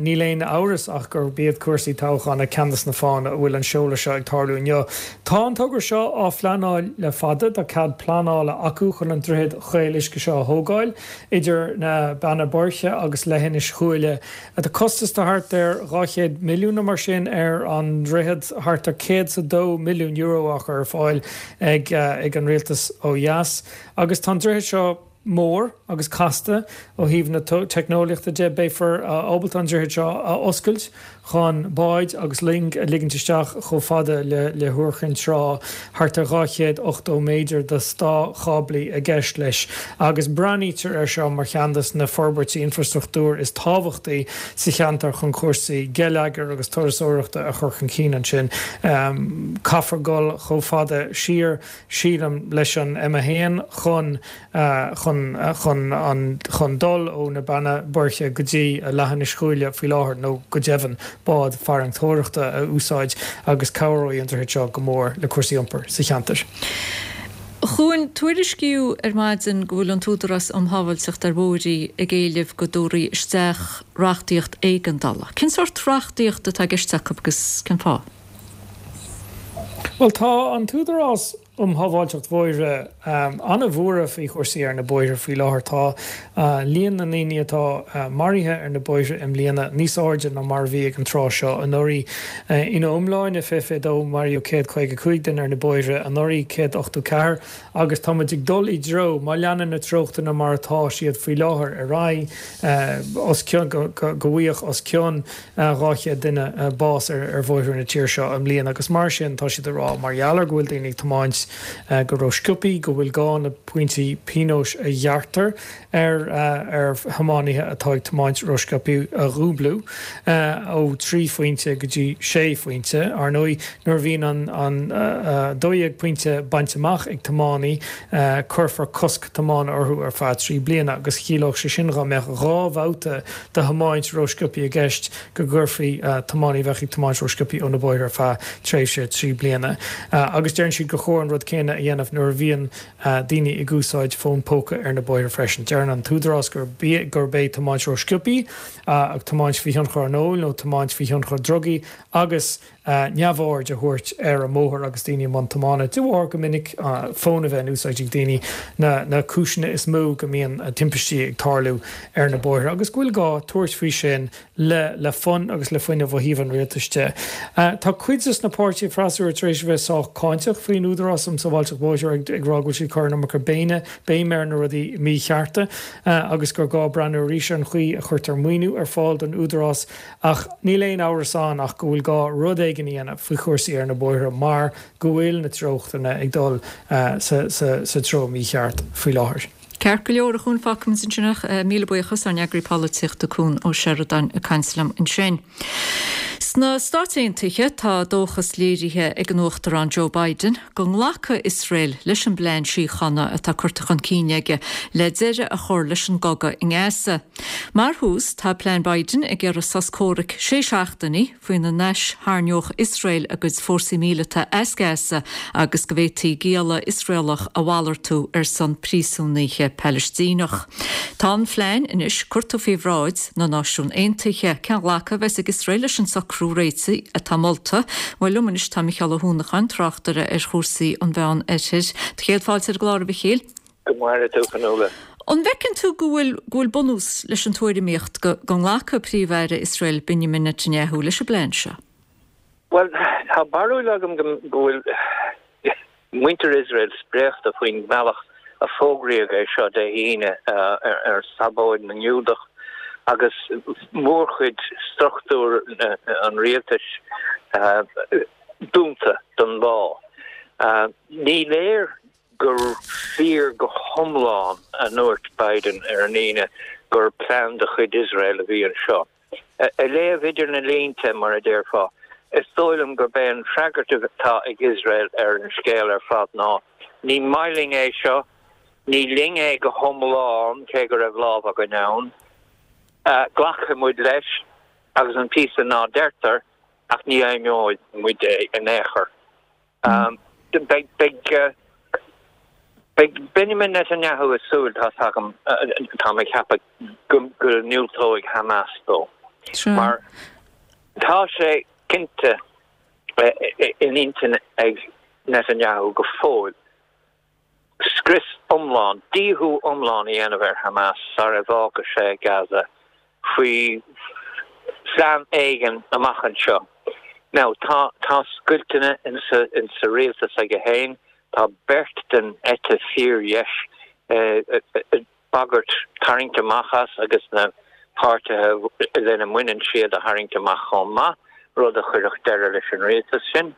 níl aon amhras ach gurb iad cúrsaí toghchána ceann de na fáthanna a bhfuil an seoladh seo ag tarlú inniu. Tá an togra seo á phleanáil le fada, tá cead pleanála acu chun an droichead chaol uisce seo a thógáil idir na Beanna Boirche agus Leithinis Chuaille. Tá costas de thart ar dhá chéad milliún nó mar sin ar an droichead, thart ar céad is a dó milliún euro á chur ar fáil ag ag an rialtas ó dheas. Agus tá an droichead seo mór agus casta ó thaobh na teicneolaíochta de. Beifear ábalta an droichead seo a oscailt chun báid agus loing a ligint isteach chomh fada le le hIúr Chinn Trá, thart ar dhá chéad ochtó méadar de státcháblaí i gceist leis, agus breathnaítear air seo mar cheann de na forbairtí infreastruchtúir is tábhachtaí sa cheantar chun cúrsaí geilleagair agus turasóireachta a chur chun cinn ansin. Caithfear dul chomh fada siar, sílim, leis an M a haon chun chun chun an chun dul ó na Beanna Boirche go dtí Leithinis Chuaille faoi láthair nó go deimhin bád farantóireachta a úsáid agus cabhróidh an droichead seo go mór le cúrsaí iompair sa cheantar. A Chuain, tuairiscíodh ar maidin go bhfuil an tÚdarás um Shábháilteacht ar Bhóithre ag éileamh go dtabharfaí isteach reachtaíocht éigeandála. Cén sórt reachtaíocht atá i gceist acu agus cén fáth? Bhuel, tá an tÚdarás um Shábháilteacht Bhóithre an-bhuartha faoi chúrsaí ar na bóithre faoi láthair. Tá líon na ndaoine atá maraithe ar na bóithre i mbliana níos airde ná mar a bhí ag an tráth seo anuraidh. Ina iomláine, fiche fiche dó, maraíodh céad caoga cúig duine ar na bóithre, anuraidh céad ochtó ceathair, agus tá muid ag dul i dtreo, má leanann na treochtanna mar atá siad faoi láthair ar aghaidh, os cionn, go bhfaighidh os cionn dhá chéad duine bás ar bhóithre na tíre seo i mbliana agus mar sin tá siad ag rá, mar gheall ar go bhfuil daoine ag tiomáint go rósciobtha, go bhfuil gá na pointí pionóis a ghearrtar ar ar thiománaithe atá ag tiomáint rósciobtha a dhúblú ó trí phointe go dtí sé phointe. Ar ndóigh, nuair a bhíonn an an dó dhéag pointe bainte amach ag tiománaí, cuirfear cosc tiomána orthu ar feadh trí bliana agus chiallódh sé sin dá mbeadh dhá bhabhta de thiomáint rósciobtha i gceist go gcuirfí tiománaí a bheadh ag tiomáint rósciobtha ó na bóithre ar feadh tréimhse trí bliana. Agus deireann siad gur chóir an rud céanna a dhéanamh nuair a bhíonn daoine ag úsáid fón póca ar na bóithre freisin. Deireann an tÚdarás gurb é tiomáint rósciobtha, tiomáint faoi thionchar an óil nó tiomáint faoi thionchar drugaí agus neamhaird a thabhairt ar an mbóthar agus daoine i mbun tiomána, de bharr go minic fón a bheith in úsáid ag daoine, na cúiseanna is mó go mbíonn timpistí ag tarlú ar na bóithre agus go bhfuil gá tabhairt faoi sin le le fonn agus le fuinneamh ó thaobh an rialtais de. Tá cuid de na páirtithe freasúra tar éis a bheith sách cáinteach faoin Údarás um Sábháilteacht Bóithre ag rá go bhfuil siad ag cur an iomarca béine béim ar na rudaí míchearta agus gur gá breathnú arís ar an chaoi a chuirtear maoiniú ar fáil don Údarás ach níl aon amhras ann ach go bhfuil gá rud éigin a dhéanamh faoi chúrsaí ar na bóithre mar go bhfuil na treochtanna ag dul sa treo mícheart faoi láthair. Ceart go leor, a Chuain, fágfaimid ansin é. Míle buíochas, ár n-eagraí polaitíochta Cuan Ó Seireadáin ag caint liom ansin. Sna Stáit Aontaithe tá dóchas léirithe ag an Uachtarán Joe Biden go nglacfaidh Iosrael leis an bplean síochána atá curtha chun cinn aige le deireadh a chur leis an gcogadh i nGaza. Mar thús, tá plean Biden ag iarraidh sos comhraic sé seachtainí faoina n-aistharraingeodh Iosrael a gcuid fórsaí míleata as Gaza agus go bhféadfaí gialla Iosraelach a mhalartú ar son príosúnaithe Palaistíneach. Tá an phlean anois curtha faoi bhráid na Náisiún Aontaithe. Cén ghlacadh a bheas ag Iosrael leis an socrú réitigh atá molta? Bhuel, liom anois tá Micheál Ó hUanacháin, tráchtaire ar chúrsaí an Mheán Oirthir. Do chéad fáilte ar an gclár, a Mhichíl. Go maire tú, Fionnuala. An bhfeiceann tú go bhfuil go bhfuil bunús leis an tuairimíocht go go nglacfaidh Príomh-Aire Iosrael Benjamin Netanyahu leis an bplean seo? Bhuel, tá barúil agam go bhfuil muintir Iosrael spréachta faoin mbealach a fógraíodh é seo Dé hAoine ar Sabóid na nGiúdach agus mórchuid struchtúr an rialtais dúnta don lá. Ní léir gur fíor go hiomlán a ndúirt Biden ar an Aoine gur plean de chuid Iosrael a bhí anseo. Ag léamh idir na línte, mar a déarfá, is dóigh liom gurb é an freagairt atá ag Iosrael ar an scéal ar fad ná, ní maith linn é seo, ní linn é go hiomlán, cé go raibh lámh againn ann, glacfaidh muid leis, agus an píosa ná deirtear, ach ní fheidhmeoidh muid é in aon chor. Beidh, beidh, beidh Benjamin Netanyahu ag súil, tá's agam, táim ag ceapadh, go ndiúltóidh Hamas dó. Mar tá sé cinnte in intinn ag Netanyahu go fóill scrios iomlán, díothú iomlán a dhéanamh ar Hamas sara bhfágfaidh sé Gaza faoi phlean éigin amach anseo. Now, tá, tá scoilteanna insa, insa rialtas aige féin, tá beirt den eite fíordheis ag bagairt tarraingt amach as agus na páirtithe lena mbaineann siad a tharraingt amach chomh maith, rud a chuirfeadh deireadh leis an rialtas sin.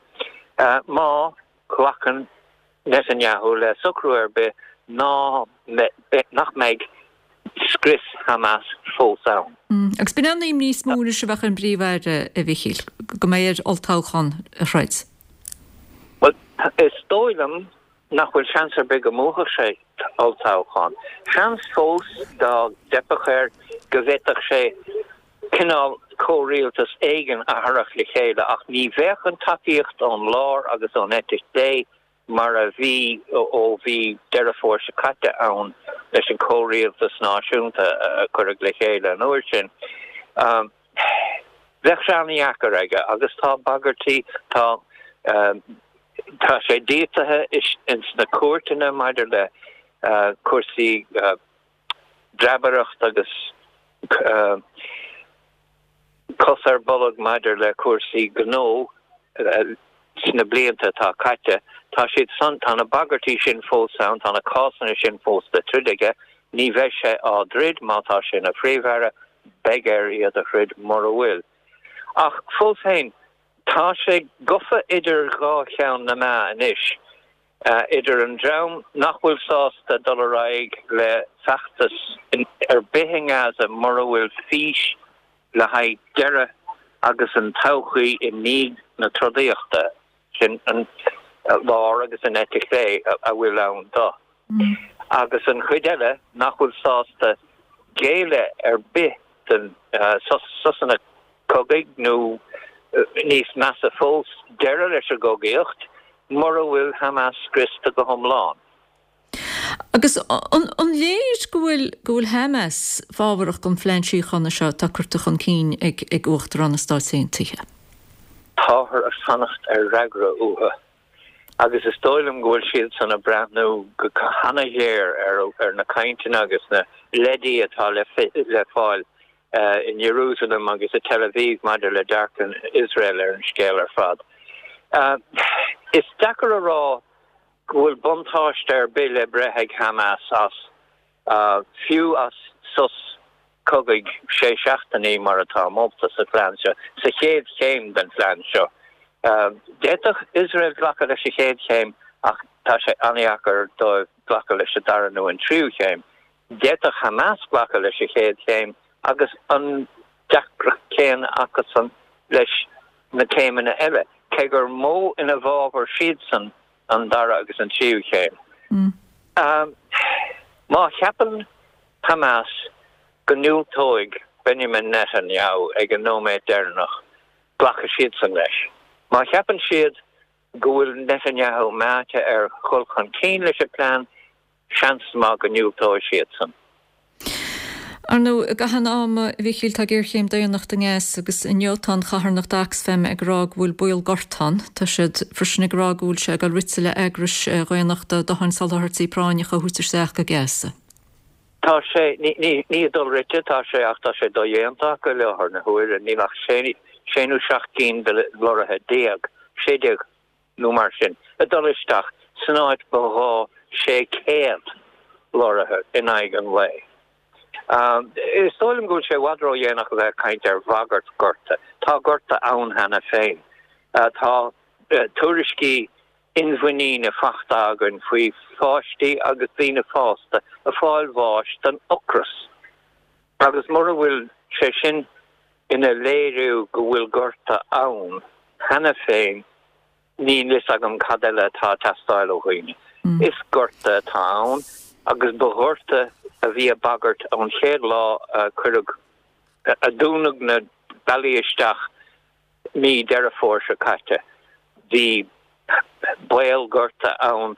Má ghlacann Netanyahu le socrú ar bith ná nach mbeidh scrios Hamas fós ann. Agus b'in an imní is mó anois a bheadh ar an bPríomh-Aire, a Mhichíl, go mbeidh air olltoghchán a throid. Bhuel, is dóigh liom nach bhfuil seans ar bith go mbuafadh sé olltoghchán. Seans fós dá dteipfeadh air go bhféadfadh sé cineál comhrialtas éigin a tharrac le chéile ach ní bheadh an tacaíocht ón lár agus ón eite chlé mar a bhí ó bhí Deireadh Fómhair seo caite ann leis an comhrialtas náisiúnta a cuireadh le chéile an uair sin. Bheadh sé an-dheacair aige agus tá bagairtí, tá tá sé díothaithe ins na cúirteanna maidir le cúrsaí breabaireacht agus cos ar bolg maidir le cúrsaí gnó sna blianta atá caite. Tá siad san, tá na bagairtí sin fós ann, tá na cásanna sin fós le troid aige. Ní bheidh sé á dtroid má tá sé ina Phríomh-Aire, beidh air iad a throid mura bhfuil. Ach fós féin, tá sé gafa idir dhá cheann na meá anois, idir an dream nach bhfuil sásta dul ar aghaidh le feachtas ar bith i nGaza mura bhfuil fís le haghaidh deireadh agus an todhchaí i ndiaidh na trodaíochta, sin an lár agus an eite chlé a bhfuil ann dó, agus an chuid eile nach bhfuil sásta géilleadh ar bith don sosanna cogaidh nó níos measa fós, deireadh leis an gcogaíocht, mura bhfuil Hamas scriosta go hiomlán. Agus an léir go bhfuil go bhfuil Hamas fábharach don phlean síochána seo atá curtha chun cinn ag ag Uachtarán na Stáit Aontaithe? Táthar ag fanacht ar fhreagra uathu agus is dóigh liom go bhfuil siadsan ag breathnú go han-ghéar ar ar na cainteanna agus na leidí atá le le fáil in Jerusalem agus i Tel Aviv maidir le dearcadh Iosrael ar an scéal ar fad. Is deacair a rá go bhfuil buntáiste ar bith le breith ag Hamas as, fiú as sos cogaidh sé seachtainí mar atá molta sa phlean seo, sa chéad chéim den phlean seo. D'fhéadfadh Iosrael glacadh leis an chéad chéim ach tá sé an-dheacair dóibh glacadh leis an dara nó an tríú chéim. D'fhéadfadh Hamas glacadh leis an chéad chéim agus an deacracht chéanna acusan leis na céimeanna eile, cé gur mó ina bhfabhar siadsan an dara agus an tríú chéim. Má cheapann Hamas go ndiúltóidh Benjamin Netanyahu ag an nóiméad deireanach, glacfaidh siadsan leis. Má cheapann siad go bhfuil Netanyahu meáite ar dhul chun cinn leis an bplean, seans maith go ndiúltóidh siadsan. Ar ndóigh, i gcaitheamh an ama, a Mhíchíl, tá géarchéim daonnachta i nGaza agus inniu tá an charthanacht Oxfam ag rá go bhfuil baol gorta ann. Tá siad freisin ag rá go bhfuil sé ag dul rite le eagrais dhaonnachta dóthain soláthairtí práinneacha a thabhairt isteach go Gaza. Tá sé, ní, ní, ní ag dul rite atá sé ach tá sé dodhéanta acu i láthair na huaire. Níl ach sé, sé nó seacht gcinn de lorraithe déag, sé déag nó mar sin, ag dul isteach san áit ba ghá sé céad lorraithe in aghaidh an lae. Is dóigh liom go bhfuil sé i bhfad ródhéanach a bheith ag caint ar bhagairt gorta. Tá gorta ann cheana féin. Tá tuairiscí inmhuiníne faighte againn faoi pháistí agus daoine fásta ag fáil bháis den ocras. Agus mura bhfuil sé sin ina léiriú go bhfuil gorta ann cheana féin, Níl fhios agam cad eile atá ag teastáil ó dhaoine. Is gorta atá ann agus ba ghorta a bhí ag bagairt ón chéad lá a cuireadh, a dúnadh na bealaí isteach mí Deireadh Fómhair seo caite. Bhí baol gorta ann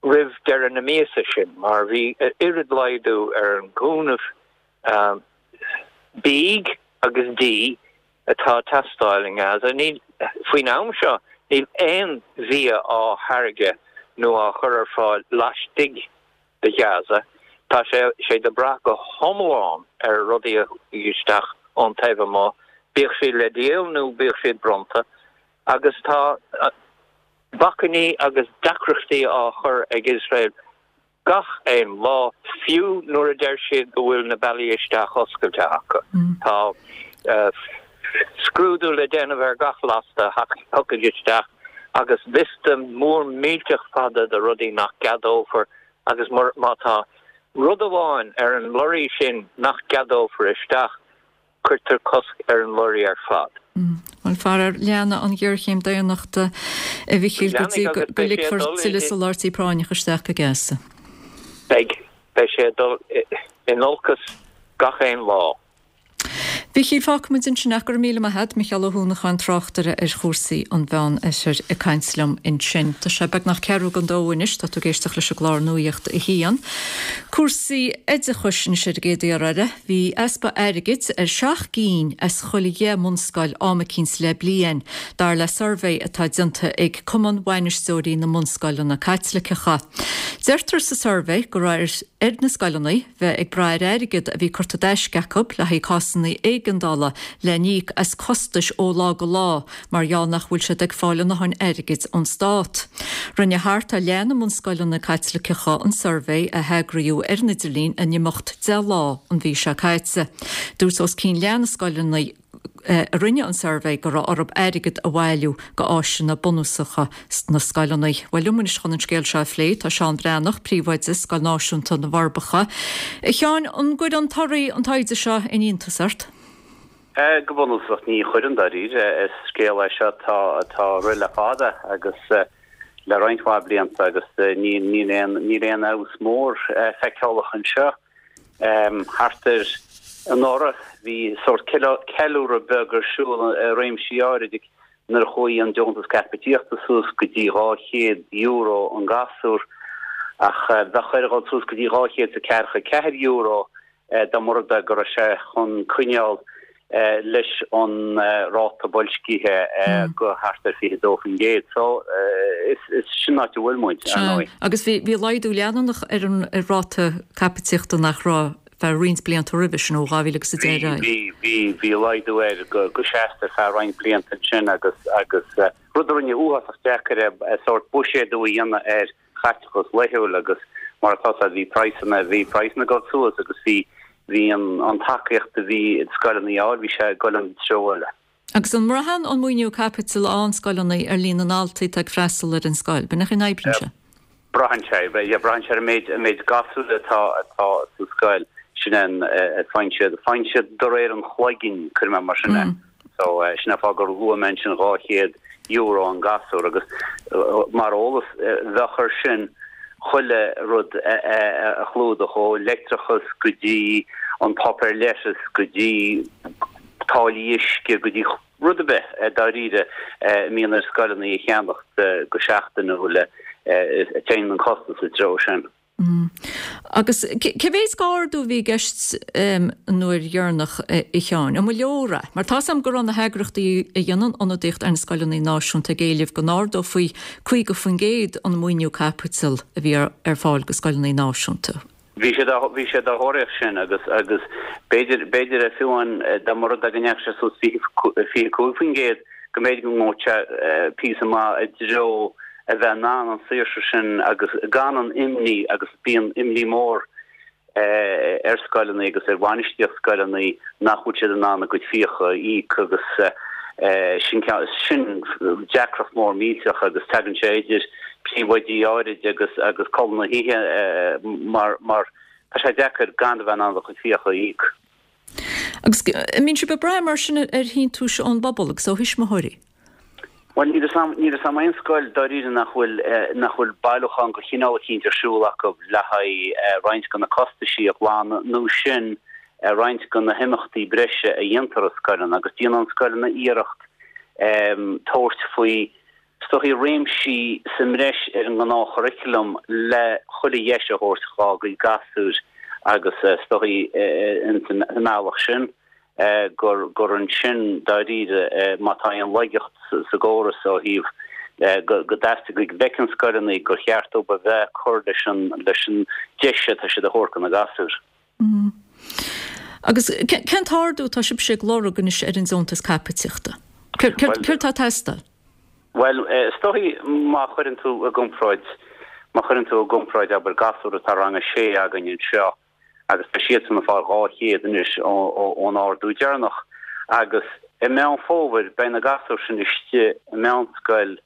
roimh deireadh na míosa sin mar bhí oiread laghdú ar an gcúnamh bídh agus dí atá ag teastáil i nGaza. Níl, faoin am seo, níl aon bhia á thairgeadh nó á chur ar fáil laistigh de Ghaza. Tá sé siad ag brath go hiomlán ar rudaí a thig isteach ón taobh amuigh, bíodh siad le díol nó bíodh siad bronnta, agus tá bacainní agus deacrachtaí á chur ag Iosrael Gach aon lá, fiú nuair a deir siad go bhfuil na bealaí isteach oscailte acu, tá scrúdú le déanamh ar gach lasta a thiocfaidh isteach agus liosta mór millteach fada de rudaí nach gceadófar agus má tá rud amháin ar an lorraí sin nach gceadófar isteach, Cuirtear cosc ar an lorraí ar fad. Bhuel, faraor, leanfaidh an ghéarchéim daonnachta, a Mhichíl, go dtí go ligfear tuilleadh soláthairtí práinneacha isteach go Gaza. Beidh. Beidh sé ag dul in olcas gach aon lá. Mhichíl, fágfaidh muid ansin é, go raibh míle maith agat, Micheál Ó hUanacháin, tráchtaire ar chúrsaí an Mheánoirthir ag caint liom ansin. Tá sé beagnach ceathrú don dó anois, tá tú ag éisteacht leis an gclár Nuacht a hAon. Cúrsaí oideachais anois ar an gcéad iarraidh eile. Bhí easpa airgid ar seacht gcinn as chuile dheich mbunscoil am eicínt le bliain, dar le suirbhé atá déanta ag Cumann Bhainisteoirí na mBunscoileanna Caitliceacha. Deirtear sa suirbhé go raibh ar na scoileanna bheith ag brath ar airgead a bhí curtha i dtaisce acu le haghaidh cásanna éigeandála le n-íoc as costais ó lá go lá mar gheall nach bhfuil siad ag fáil a ndóthain airgid ón stát. Rinne thart ar leath na mbunscoileanna Caitliceacha an suirbhé a heagraíodh ar an idirlíon in imeacht deich lá an mhí seo caite. Dúirt os cionn leath na scoileanna a rinne an suirbhé go raibh orthu airgead a bhailiú go áiseanna bunúsacha sna scoileanna. Bhuel, liom anois chun an scéal seo a phlé tá Seán Breathnach, Príomhoide Scoil Náisiúnta na bhForbacha. A Sheáin, an gcuireann torthaí an taighde seo aon iontas ort? Go bunúsach ní chuireann dáiríre. Is scéal é seo atá atá ag rith le fada agus le roinnt mhaith blianta agus níl níl aon níl aon fheabhas mór feiceálach anseo. Thart ar anuraidh bhí sórt ceiliúradh beag ar siúl i réimsí áirid nuair a chuaigh an deontas caipitíochta suas go dtí dhá chéad euro an gasúr ach bheadh air a dhul suas go dtí dhá chéad is a ceathracha ceathair euro dá mba rud é go raibh sé chun coinneáil leis an ráta boilscithe go thart ar fiche dó faoin gcéad. So is sin áit a bhfuil muid, ar ndóigh. Agus bhí bhí laghdú leanúnach ar an ráta caipitíochta nach raibh feadh roinnt blianta roimhe sin ó dhá mhíle agus a deich ar aghaidh. Bhí, bhí, bhí laghdú air go go seasta ar feadh roinnt blianta ansin agus agus rud a rinne uafásach deacair é sórt buiséadú a dhéanamh ar chaiteachas laethúil agus mar atá a fhios agat bhí praghsanna, bhí praghsanna ag dul suas agus bhí bhí an an tacaíocht a bhí scoileanna a fháil, bhí sé ag dul an treo eile. Agus an mbraitheann an maoiniú caipitil a fhaigheann scoileanna ar líon na ndaltaí atá ag freastal ar an scoil? B'in é an oibríonn sé? Braitheann sé, yeah, braitheann sé ar an méid an méid gasúr atá atá sa scoil, sin é an faigheann siad faigheann siad de réir an chloiginn, cuirfidh mé mar sin é. So sin é an fáth gur luaigh mé ansin dhá chéad euro an gasúr agus mar eolas bheadh air sin chuile rud a chlúdach ó leictreachas go dtí an páipéar leitis go dtí táillí uisce go dtí rud ar bith dáiríre a mbíonn ar scoileanna a cheannacht go seachtainiúil téann an costas sa treo sin. Agus cé mhéad d'ardú a bhí i gceist an uair dheireanach, a Sheáin? An mba leor é? Mar tá 's agam go raibh na heagraíochtaí a dhéanann ionadaíocht ar na scoileanna náisiúnta ag éileamh go n-ardófaí caoga faoin gcéad an maoiniú caipitil a bhí ar fáil go scoileanna náisiúnta. Bhí siad bhí siad á thóraíocht sin agus agus b'fhéidir b'fhéidir fiú amháin dá mba rud é go ndeachaigh sé suas fiche fiche cúig faoin gcéad go mb'fhéidir go ngabhfadh sé píosa maith i dtreo a bheith in ann an saoirse sin agus gan an imní agus bíonn imní mór ar scoileanna agus ar bhainistíocht scoileanna nach bhfuil siad in ann a gcuid fiacha a íoc agus sin sin deacracht mór millteach agus tagann sé idir príomhoidí áirid agus agus codladh na hoíche mar mar tá sé deacair gan a bheith in ann do chuid fiacha a íoc. Agus an mbíonn sibh ag brath mar sin ar shíntiúis ón bpobal agus ó thuismitheoirí? Bhuel, níl 'fhios a'm, níl 'fhios a'm aon scoil dáiríre nach bhfuil, nach bhfuil bailiúchán de chineál eicínt ar siúl acu le haghaidh roinnt de na costaisí a ghlanadh nó sin roinnt de na himeachtaí breise a dhéantar i scoileanna agus déanann scoileanna iarracht tabhairt faoi is dóichí réimsí sa mbreis ar an ngnáthchurriculum le chuile dheis a thabhairt dhá gcuid gasúir agus is dóichí ins an mbealach sin gur gur ansin dáiríre má tá aon laigeacht sa gcóras ó thaobh go go dteastaigh go bhfeiceann scoileanna gur cheart dóibh a bheith ag cur leis an leis an deis atá siad a thabhairt do na gasúir. Agus cén t-ardú atá sibhse ag lorg anois ar an deontas caipitíochta? Céard atá ag teastáil? Bhuel, is dóichí má chuireann tú i gcomparáid má chuireann tú i gcomparáid abair gasúr atá rang a sé againn anseo, agus tá siadsan ag fáil dhá chéad anois ón ardú deireanach agus i Meán Fómhair beidh na gasúir sin istigh i meánscoil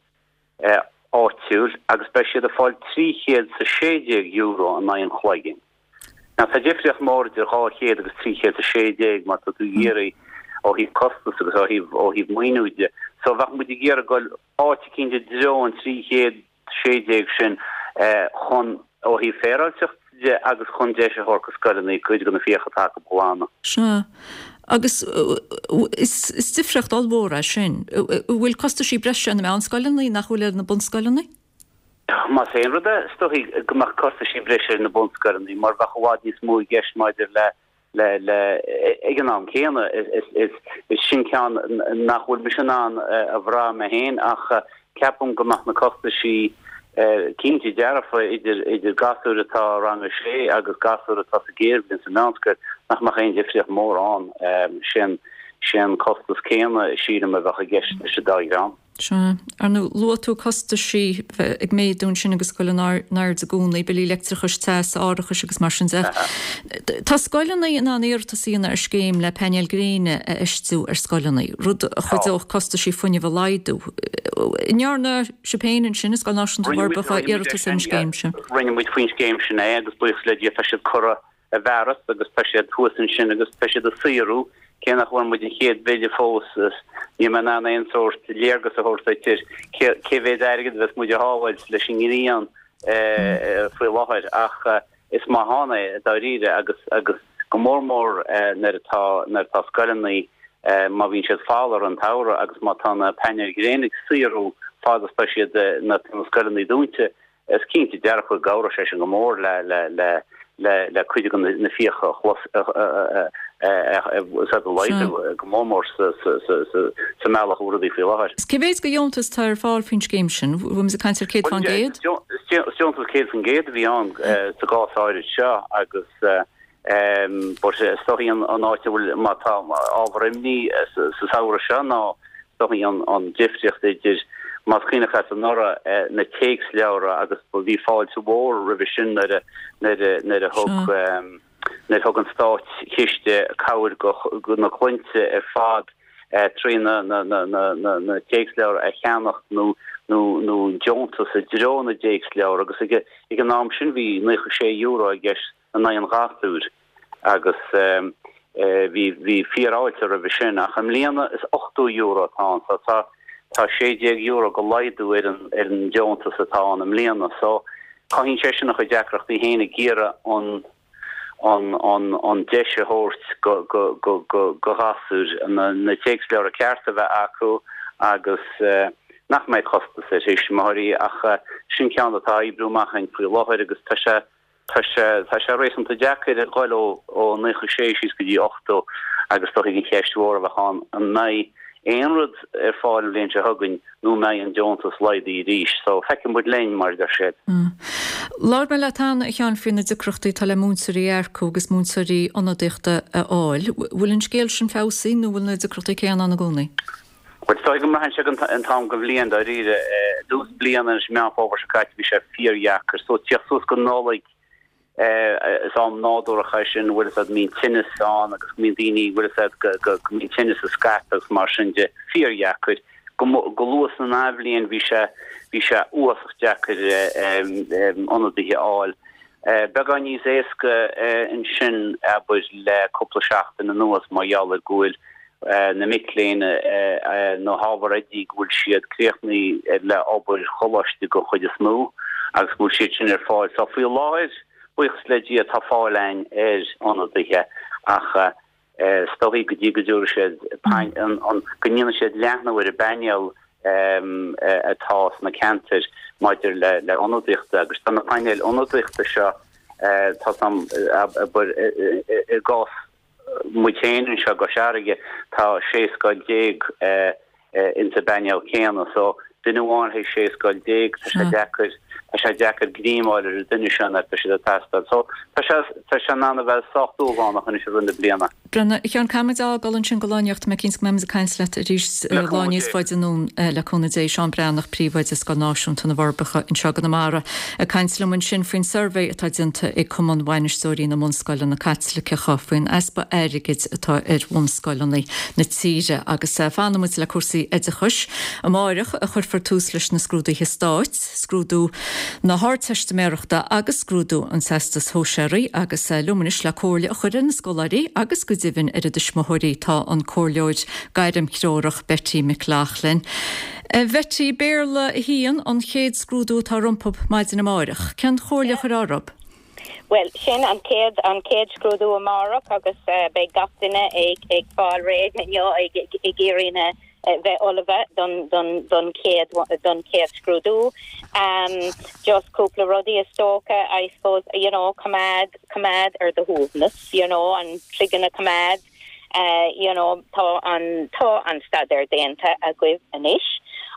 áitiúil agus beidh siad ag fáil trí chéad 's a sé déag euro in aghaidh an chloiginn. Now tá difríocht mór idir dhá chéad agus trí chéad 's a sé déag má tá tú ag iarraidh ó thaobh costas agus ó thaobh ó thaobh maoiniú de. So bheadh muid ag iarraidh goil áit eicínt i dtreo an trí chéad sé déag sin chun, ó thaobh féaráilteacht de agus chun deis a thabhairt do scoileanna cuid de na fiacha atá acu a ghlanadh. Sea. Agus is difríocht ollmhór é sin. An bhfuil costaisí breise ar na meánscoileanna nach bhfuil ar na bunscoileanna? Más aon rud é, is dóichí go mbeadh costaisí breise ar na bunscoileanna mar bheadh i bhfad níos mó i gceist maidir le le le ag an am céanna is is is sin ceann nach bhfuil mise in ann a bhrath mé féin ach ceapaim go mbeadh na costaisí cinnte dearfa idir idir gasúr atá i rang a sé agus gasúr atá sa gcéad bhliain sa mheánscoil nach mbeadh aon difríocht mór ann. Sin sin costas céanna sílim a bheadh i gceist leis an dá dhream. Sea. Ar ndóigh, luaigh tú costaisí ag méadú ansin agus ag dul in airde i gcónaí, billí leictreachais, teas, árachais agus mar sin de. Tá scoileanna in ann iarratas a dhéanamh ar scéim le painéil gréine a fheistiú ar scoileanna, rud a chuideodh costaisí fuinnimh a laghdú. An ndearna sibh féin ansin i Scoil Náisiúnta na bhForbacha iarratas ar an scéim sin? Rinne muid faoin scéim sin é agus buíochas le Dia tá siad curtha i bhfearas agus tá siad thuas ansin agus tá siad ag saothrú, cé nach bhfuair muid an chéad bhille fós is níl mé in ann aon sórt léargas a thabhairt duit ar cé mhéad airgead a bheas muid a shábháilt leis an ngrian faoi láthair ach is maith ann é dáiríre agus agus go mór mór nuair atá nuair atá scoileanna má bhíonn siad folamh an tsamhradh agus má tá na painéil ghréine ag saothrú fad is tá siad na scoileanna dúnta. Is cinnte dearfa go gcabhróidh sé sin go mór le le le le cuid de na fiacha a a laghdú go mór mór sa sa mbealach a bhfuil rudaí faoi láthair. Cé mhéad de dheontas atá ar fáil faoin scéim sin? Bhfuil muid ag caint ar céad faoin gcéad? Is deontas céad faoin gcéad a bhí ann sa gcás áirid seo agus but is dóichí an áit a bhfuil má tá ábhar imní sa samhradh seo ná is dóichí an difríocht idir más cuimhneach leat anuraidh na téacsleabhra agus bhí fáilte mhór roimhe sin nuair a nuair a nuair a thug nuair a thug an státchiste cabhair go na clainne ar fad trí na na na na na téacsleabhra a cheannacht nó nó nó deontas i dtreo na dtéacsleabhar agus ag ag an am sin bhí naocha sé euro i gceist in aghaidh an ghasúir agus bhí bhí fíorfháilte roimhe sin ach i mbliana is ochtó euro atá ann so tá tá sé déag euro de laghdú ar an ar an deontas atá ann i mbliana so cothaíonn sé sin a chuid deacrachtaí féin ag iarraidh an an an an deis a thabhairt go go go go go ghasúir na na téacsleabhra cearta a bheith acu agus nach mbeidh costas ar thuismitheoirí ach sin ceann atá á oibriú amach againn faoi láthair agus tá sé Tá sé, tá sé réasúnta deacair a ghoil ó, ó naocha sé síos go dtí ochtó agus is dóichí an cheist mhór a bheadh ann, an mbeidh aon rud ar fáil an bhliain seo chugainn nó an mbeidh an deontas laghdaithe arís? So, feicfidh muid linn, mar a deir siad. Labhair mé leat cheana, a Sheáin, faoi na deacrachtaí atá le múinteoirí a earcú agus múinteoirí ionadaíochta a fháil. Bhfuil an scéal sin feabhsaithe nó bhfuil na deacrachtaí céanna ann i gcónaí? Bhuel, is dóigh go mbraitheann sé an t-am den bhliain, dáiríre. I dtús bliana, anois i Meán Fómhair seo caite, bhí sé fíordheacair. So, tíocht suas go Nollaig, is am nádúrach é sin, bhfuil fhios a'd, mbíonn tinneas ann agus go mbíonn daoine, bhfuil fhios a'd, go, go, go mbíonn tinneas ag scaipeadh agus mar sin de. Fíordheacair. Go, go luath san athbhliain bhí sé, bhí sé uafásach deacair ionadaithe a fháil. Beagán níos éasca ansin, abair, le cúpla seachtain anuas mar gheall ar go bhfuil na mic léinn na hábhair oidí go bhfuil siad críochnaithe le obair choláiste den chuid is mó agus go bhfuil siad sin ar fáil. So faoi láthair, buíochas le Dia, tá fáil againn ar ionadaithe ach is dóichí go dtí go dtabharfaidh siad go ndéanfaidh siad leathnú ar an bpainéal atá sna ceantair maidir le le ionadaíochta agus tá na painéil ionadaíochta seo tá sam abair i gcás muid féin anseo i gCois Fharraige tá sé scoil déag insa bpainéal céanna so duine amháin le haghaidh sé scoil déag tá sé deacair tá sé deacair greim a fháil ar an duine sin nuair atá siad ag teastáil so tá sé tá sé in ann a bheith sách dúshlánach anois i rith na bliana. Breathnaigh, a Sheáin, caithfidh muid a fhágáil ansin do lá anocht, tá mé cinnte go mbeidh muid ag caint leat arís lá níos faide anonn le cúnamh Dé. Seán Breathnach, Príomhoide Scoil Náisiúnta na bhForbacha anseo i gConamara ag caint liom ansin faoin suirbhé atá déanta ag Cumann Bhainisteoirí na mBunscoileanna Caitliceacha faoin easpa airgid atá ar bhunscoileanna na tíre agus fanfaidh muid le cúrsaí oideachais. Amáireach a chuirfear tús leis na scrúduithe stáit, scrúdú na hArdteistiméireachta agus scrúdú an Teastais Shóisearaigh agus liom anois le comhairle a chur ar na scoláirí agus go deimhin ar a dtuismitheoirí tá an comhairleoir gairmthreorach Betty McLaughlin. A Bhetty, Béarla a haon an chéad scrúdú atá rompu maidin amáireach. Cén chomhairle a chuirfeá orthu? Bhuel, sin an chéad an chéad scrúdú amárach agus beidh gach duine ag ag fáil réidh inniu ag ag iarraidh na bheith ullamh don don don chéad don chéad scrúdú. Um, just cúpla rudaí is dócha, I suppose, you know, coimeád coimeád ar do shuaimhneas, you know, an cloigeann a choimeád, uh, you know, tá an tá an staidéar déanta agaibh anois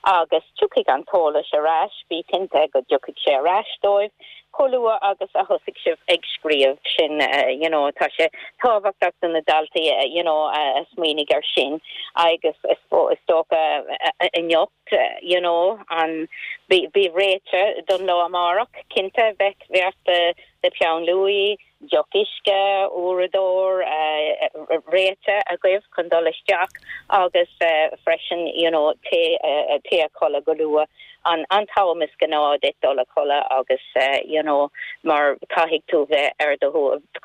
agus tiocfaidh an t-eolas ar ais, bí cinnte go dtiocfaidh sé ar ais dóibh chomh luath agus a thosaigh sibh ag scríobh sin uh, you know, tá sé tábhachtach do na daltaí uh, you know, uh, smaoinigh ar sin agus is is dócha uh, inniu you know, an bí bí réidh don lá amárach cinnte bheith bheith de de peann luaidhe, deoch uisce, uaireadóir uh, réidh agaibh chun dul isteach agus uh, freisin you know, téigh uh, téigh a chodladh go luath an an t-am is gnáth duit dul a chodladh agus uh, you know, mar caithfidh tú bheith ar do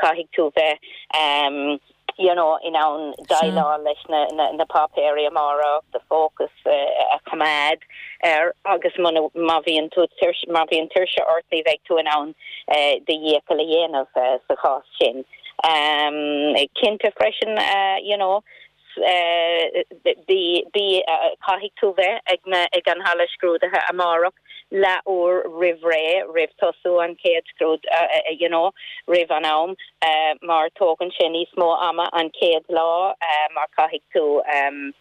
caithfidh tú bheith um, you know, in ann déileáil leis na, na, na páipéirí amárach de focus uh, a choimeád ar agus má bhíonn tú má bhíonn tuirse ort ní bheidh tú in ann uh, do dhícheall a dhéanamh uh, sa chás sin. Um, cinnte freisin uh, you know, uh, bí bí uh, caithfidh tú bheith ag na ag an halla scrúdaithe amárach leathuair roimh ré roimh tosú an chéad scrúd uh, uh, you know, roimh an am uh, mar tógann sé níos mó ama an chéad lá uh, mar caithfidh tú um,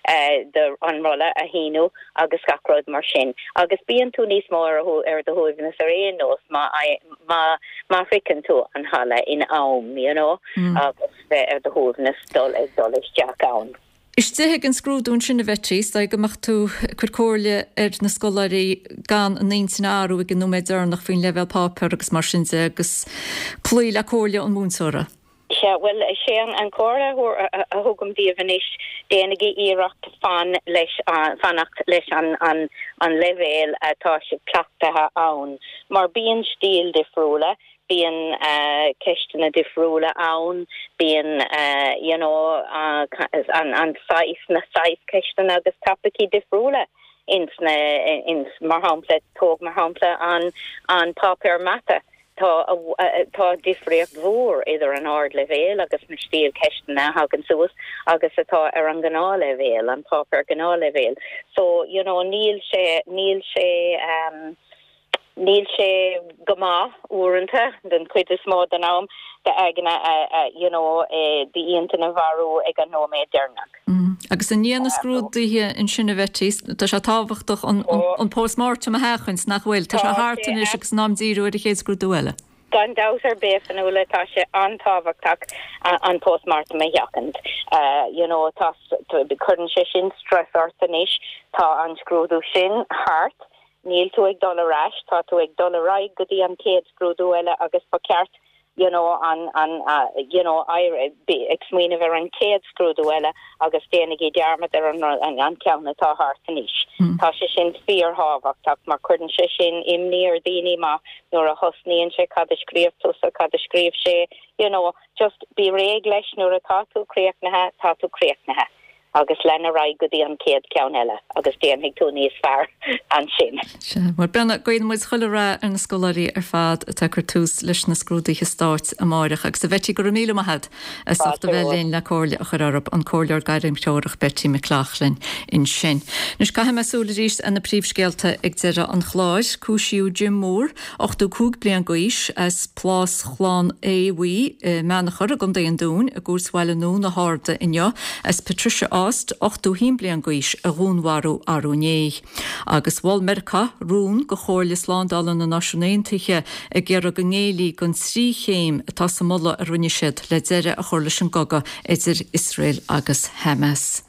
uh, de an rolla a shíniú agus gach rud mar sin. Agus bíonn tú níos mó ar ar do shuaimhneas ar aon nós má má má shroicheann tú an halla in am, you know, mm. agus bheith ar do shuaimhneas dul ag dul isteach ann. Istigh ag an scrúdú sin a Bheití, tá go mbeadh tú ag cur comhairle ar na scoláirí gan a n-intinn a athrú ag an nóiméad deireanach faoin leibhéal páipéir agus mar sin de agus cloí le comhairle an mhúinteora. Sea bhuel sé an an chomhairle a thugaim daoibh anois déanaigí iarracht fan leis fanacht leis an an an leibhéal atá sibh cleachtaithe ann. Mar bíonn stíl difriúla, bíonn uh, ceisteanna difriúla ann, bíonn uh, you know, uh, an, an saghas na saghas ceisteanna agus topaicí difriúla ins na ins mar shampla tóg mar shampla an an páipéar mata. Tá tá difríocht mhór idir an ardleibhéal agus na stíl ceisteanna a thagann suas agus atá ar an ngnáthleibhéal an páipéar gnáthleibhéal. So you know, níl sé níl sé um, níl sé go maith uaireanta den chuid is mó den am d'aigne you know, d'intinn a athrú ag an nóiméad deireanach. Mm. Agus i ndiaidh na scrúduithe ansin a Bheití, tá sé tábhachtach an, an, an post-mortem a sheachaint nach bhfuil, Tá sé thart anois agus in am díriú ar an chéad scrúdú eile. Gan dabht ar bith Fionnuala tá sé an-tábhachtach an post-mortem a sheachaint. Uh, you know, tá cuireann sé sin stress ort anois tá an scrúdú sin thart, níl tú ag dul ar ais, tá tú ag dul ar aghaidh go dtí an chéad scrúdú eile agus ba cheart you know, an, an, uh, you know, ag smaoineamh ar an chéad scrúdú eile agus déanaigí dearmad ar an, an, an ceann atá thart anois. Mm. Tá sé sin fíorthábhachtach mar cuireann sé sin imní ar daoine má nuair a thosnaíonn sé cad a scríobh tusa cad a scríobh sé, you know, just bí réidh leis nuair atá tú críochnaithe tá tú críochnaithe. agus lean ar aghaidh go dtí an chéad ceann eile agus déanfaidh tú níos fearr ansin. Mar brenna guím muid chuile rath ar na scoláirí ar fad atá ag cur tús leis na scrúduithe stáit amárach agus a Bheití go raibh míle maith agat as ucht a bheith linn le comhairle a chur orainn an comhairleoir gairmthreorach Betty McLaughlin ansin. Anois caithfidh mé súil arís ar na príomhscéalta ag deireadh an chláir cúisíodh Jim Moore ochtó cúig bliain d'aois as Plás Chlann Aodha Bhuí Meanachar i gContae an Dúin i gCúirt Bhaile Nua na hArda inniu as Patricia Ost ochtó haon bliain d'aois a dhúnmharú arú inné. Agus mhol Meiriceá rún go Chomhairle Slándála na Náisiún Aontaithe ag iarraidh go ngéillfí don trí chéim atá sa mholadh a rinne siad le deireadh a chur leis an gcogadh idir Iosrael agus Hamas.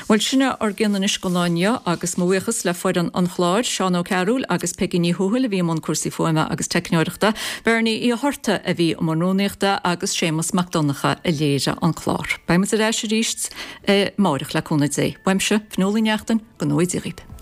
Bhuel sin ár gcionn anois don lá inniu agus mo bhuíochas le foireann an chláir Seán Ó Cearúil agus Peggy Ní Thuathail a bhí i mbun cúrsaí fuaime agus teicneoireachta, Bernie Uí Thorta a bhí i mbun rúnaíochta agus Séamus Mac Donncha a léirigh an clár. Beidh muid ar ais arís eh, amárach le cúnamh Dé. Uaimse, Fionnuala Ní Neachtain, go ngnóthaí Dia dhaoibh.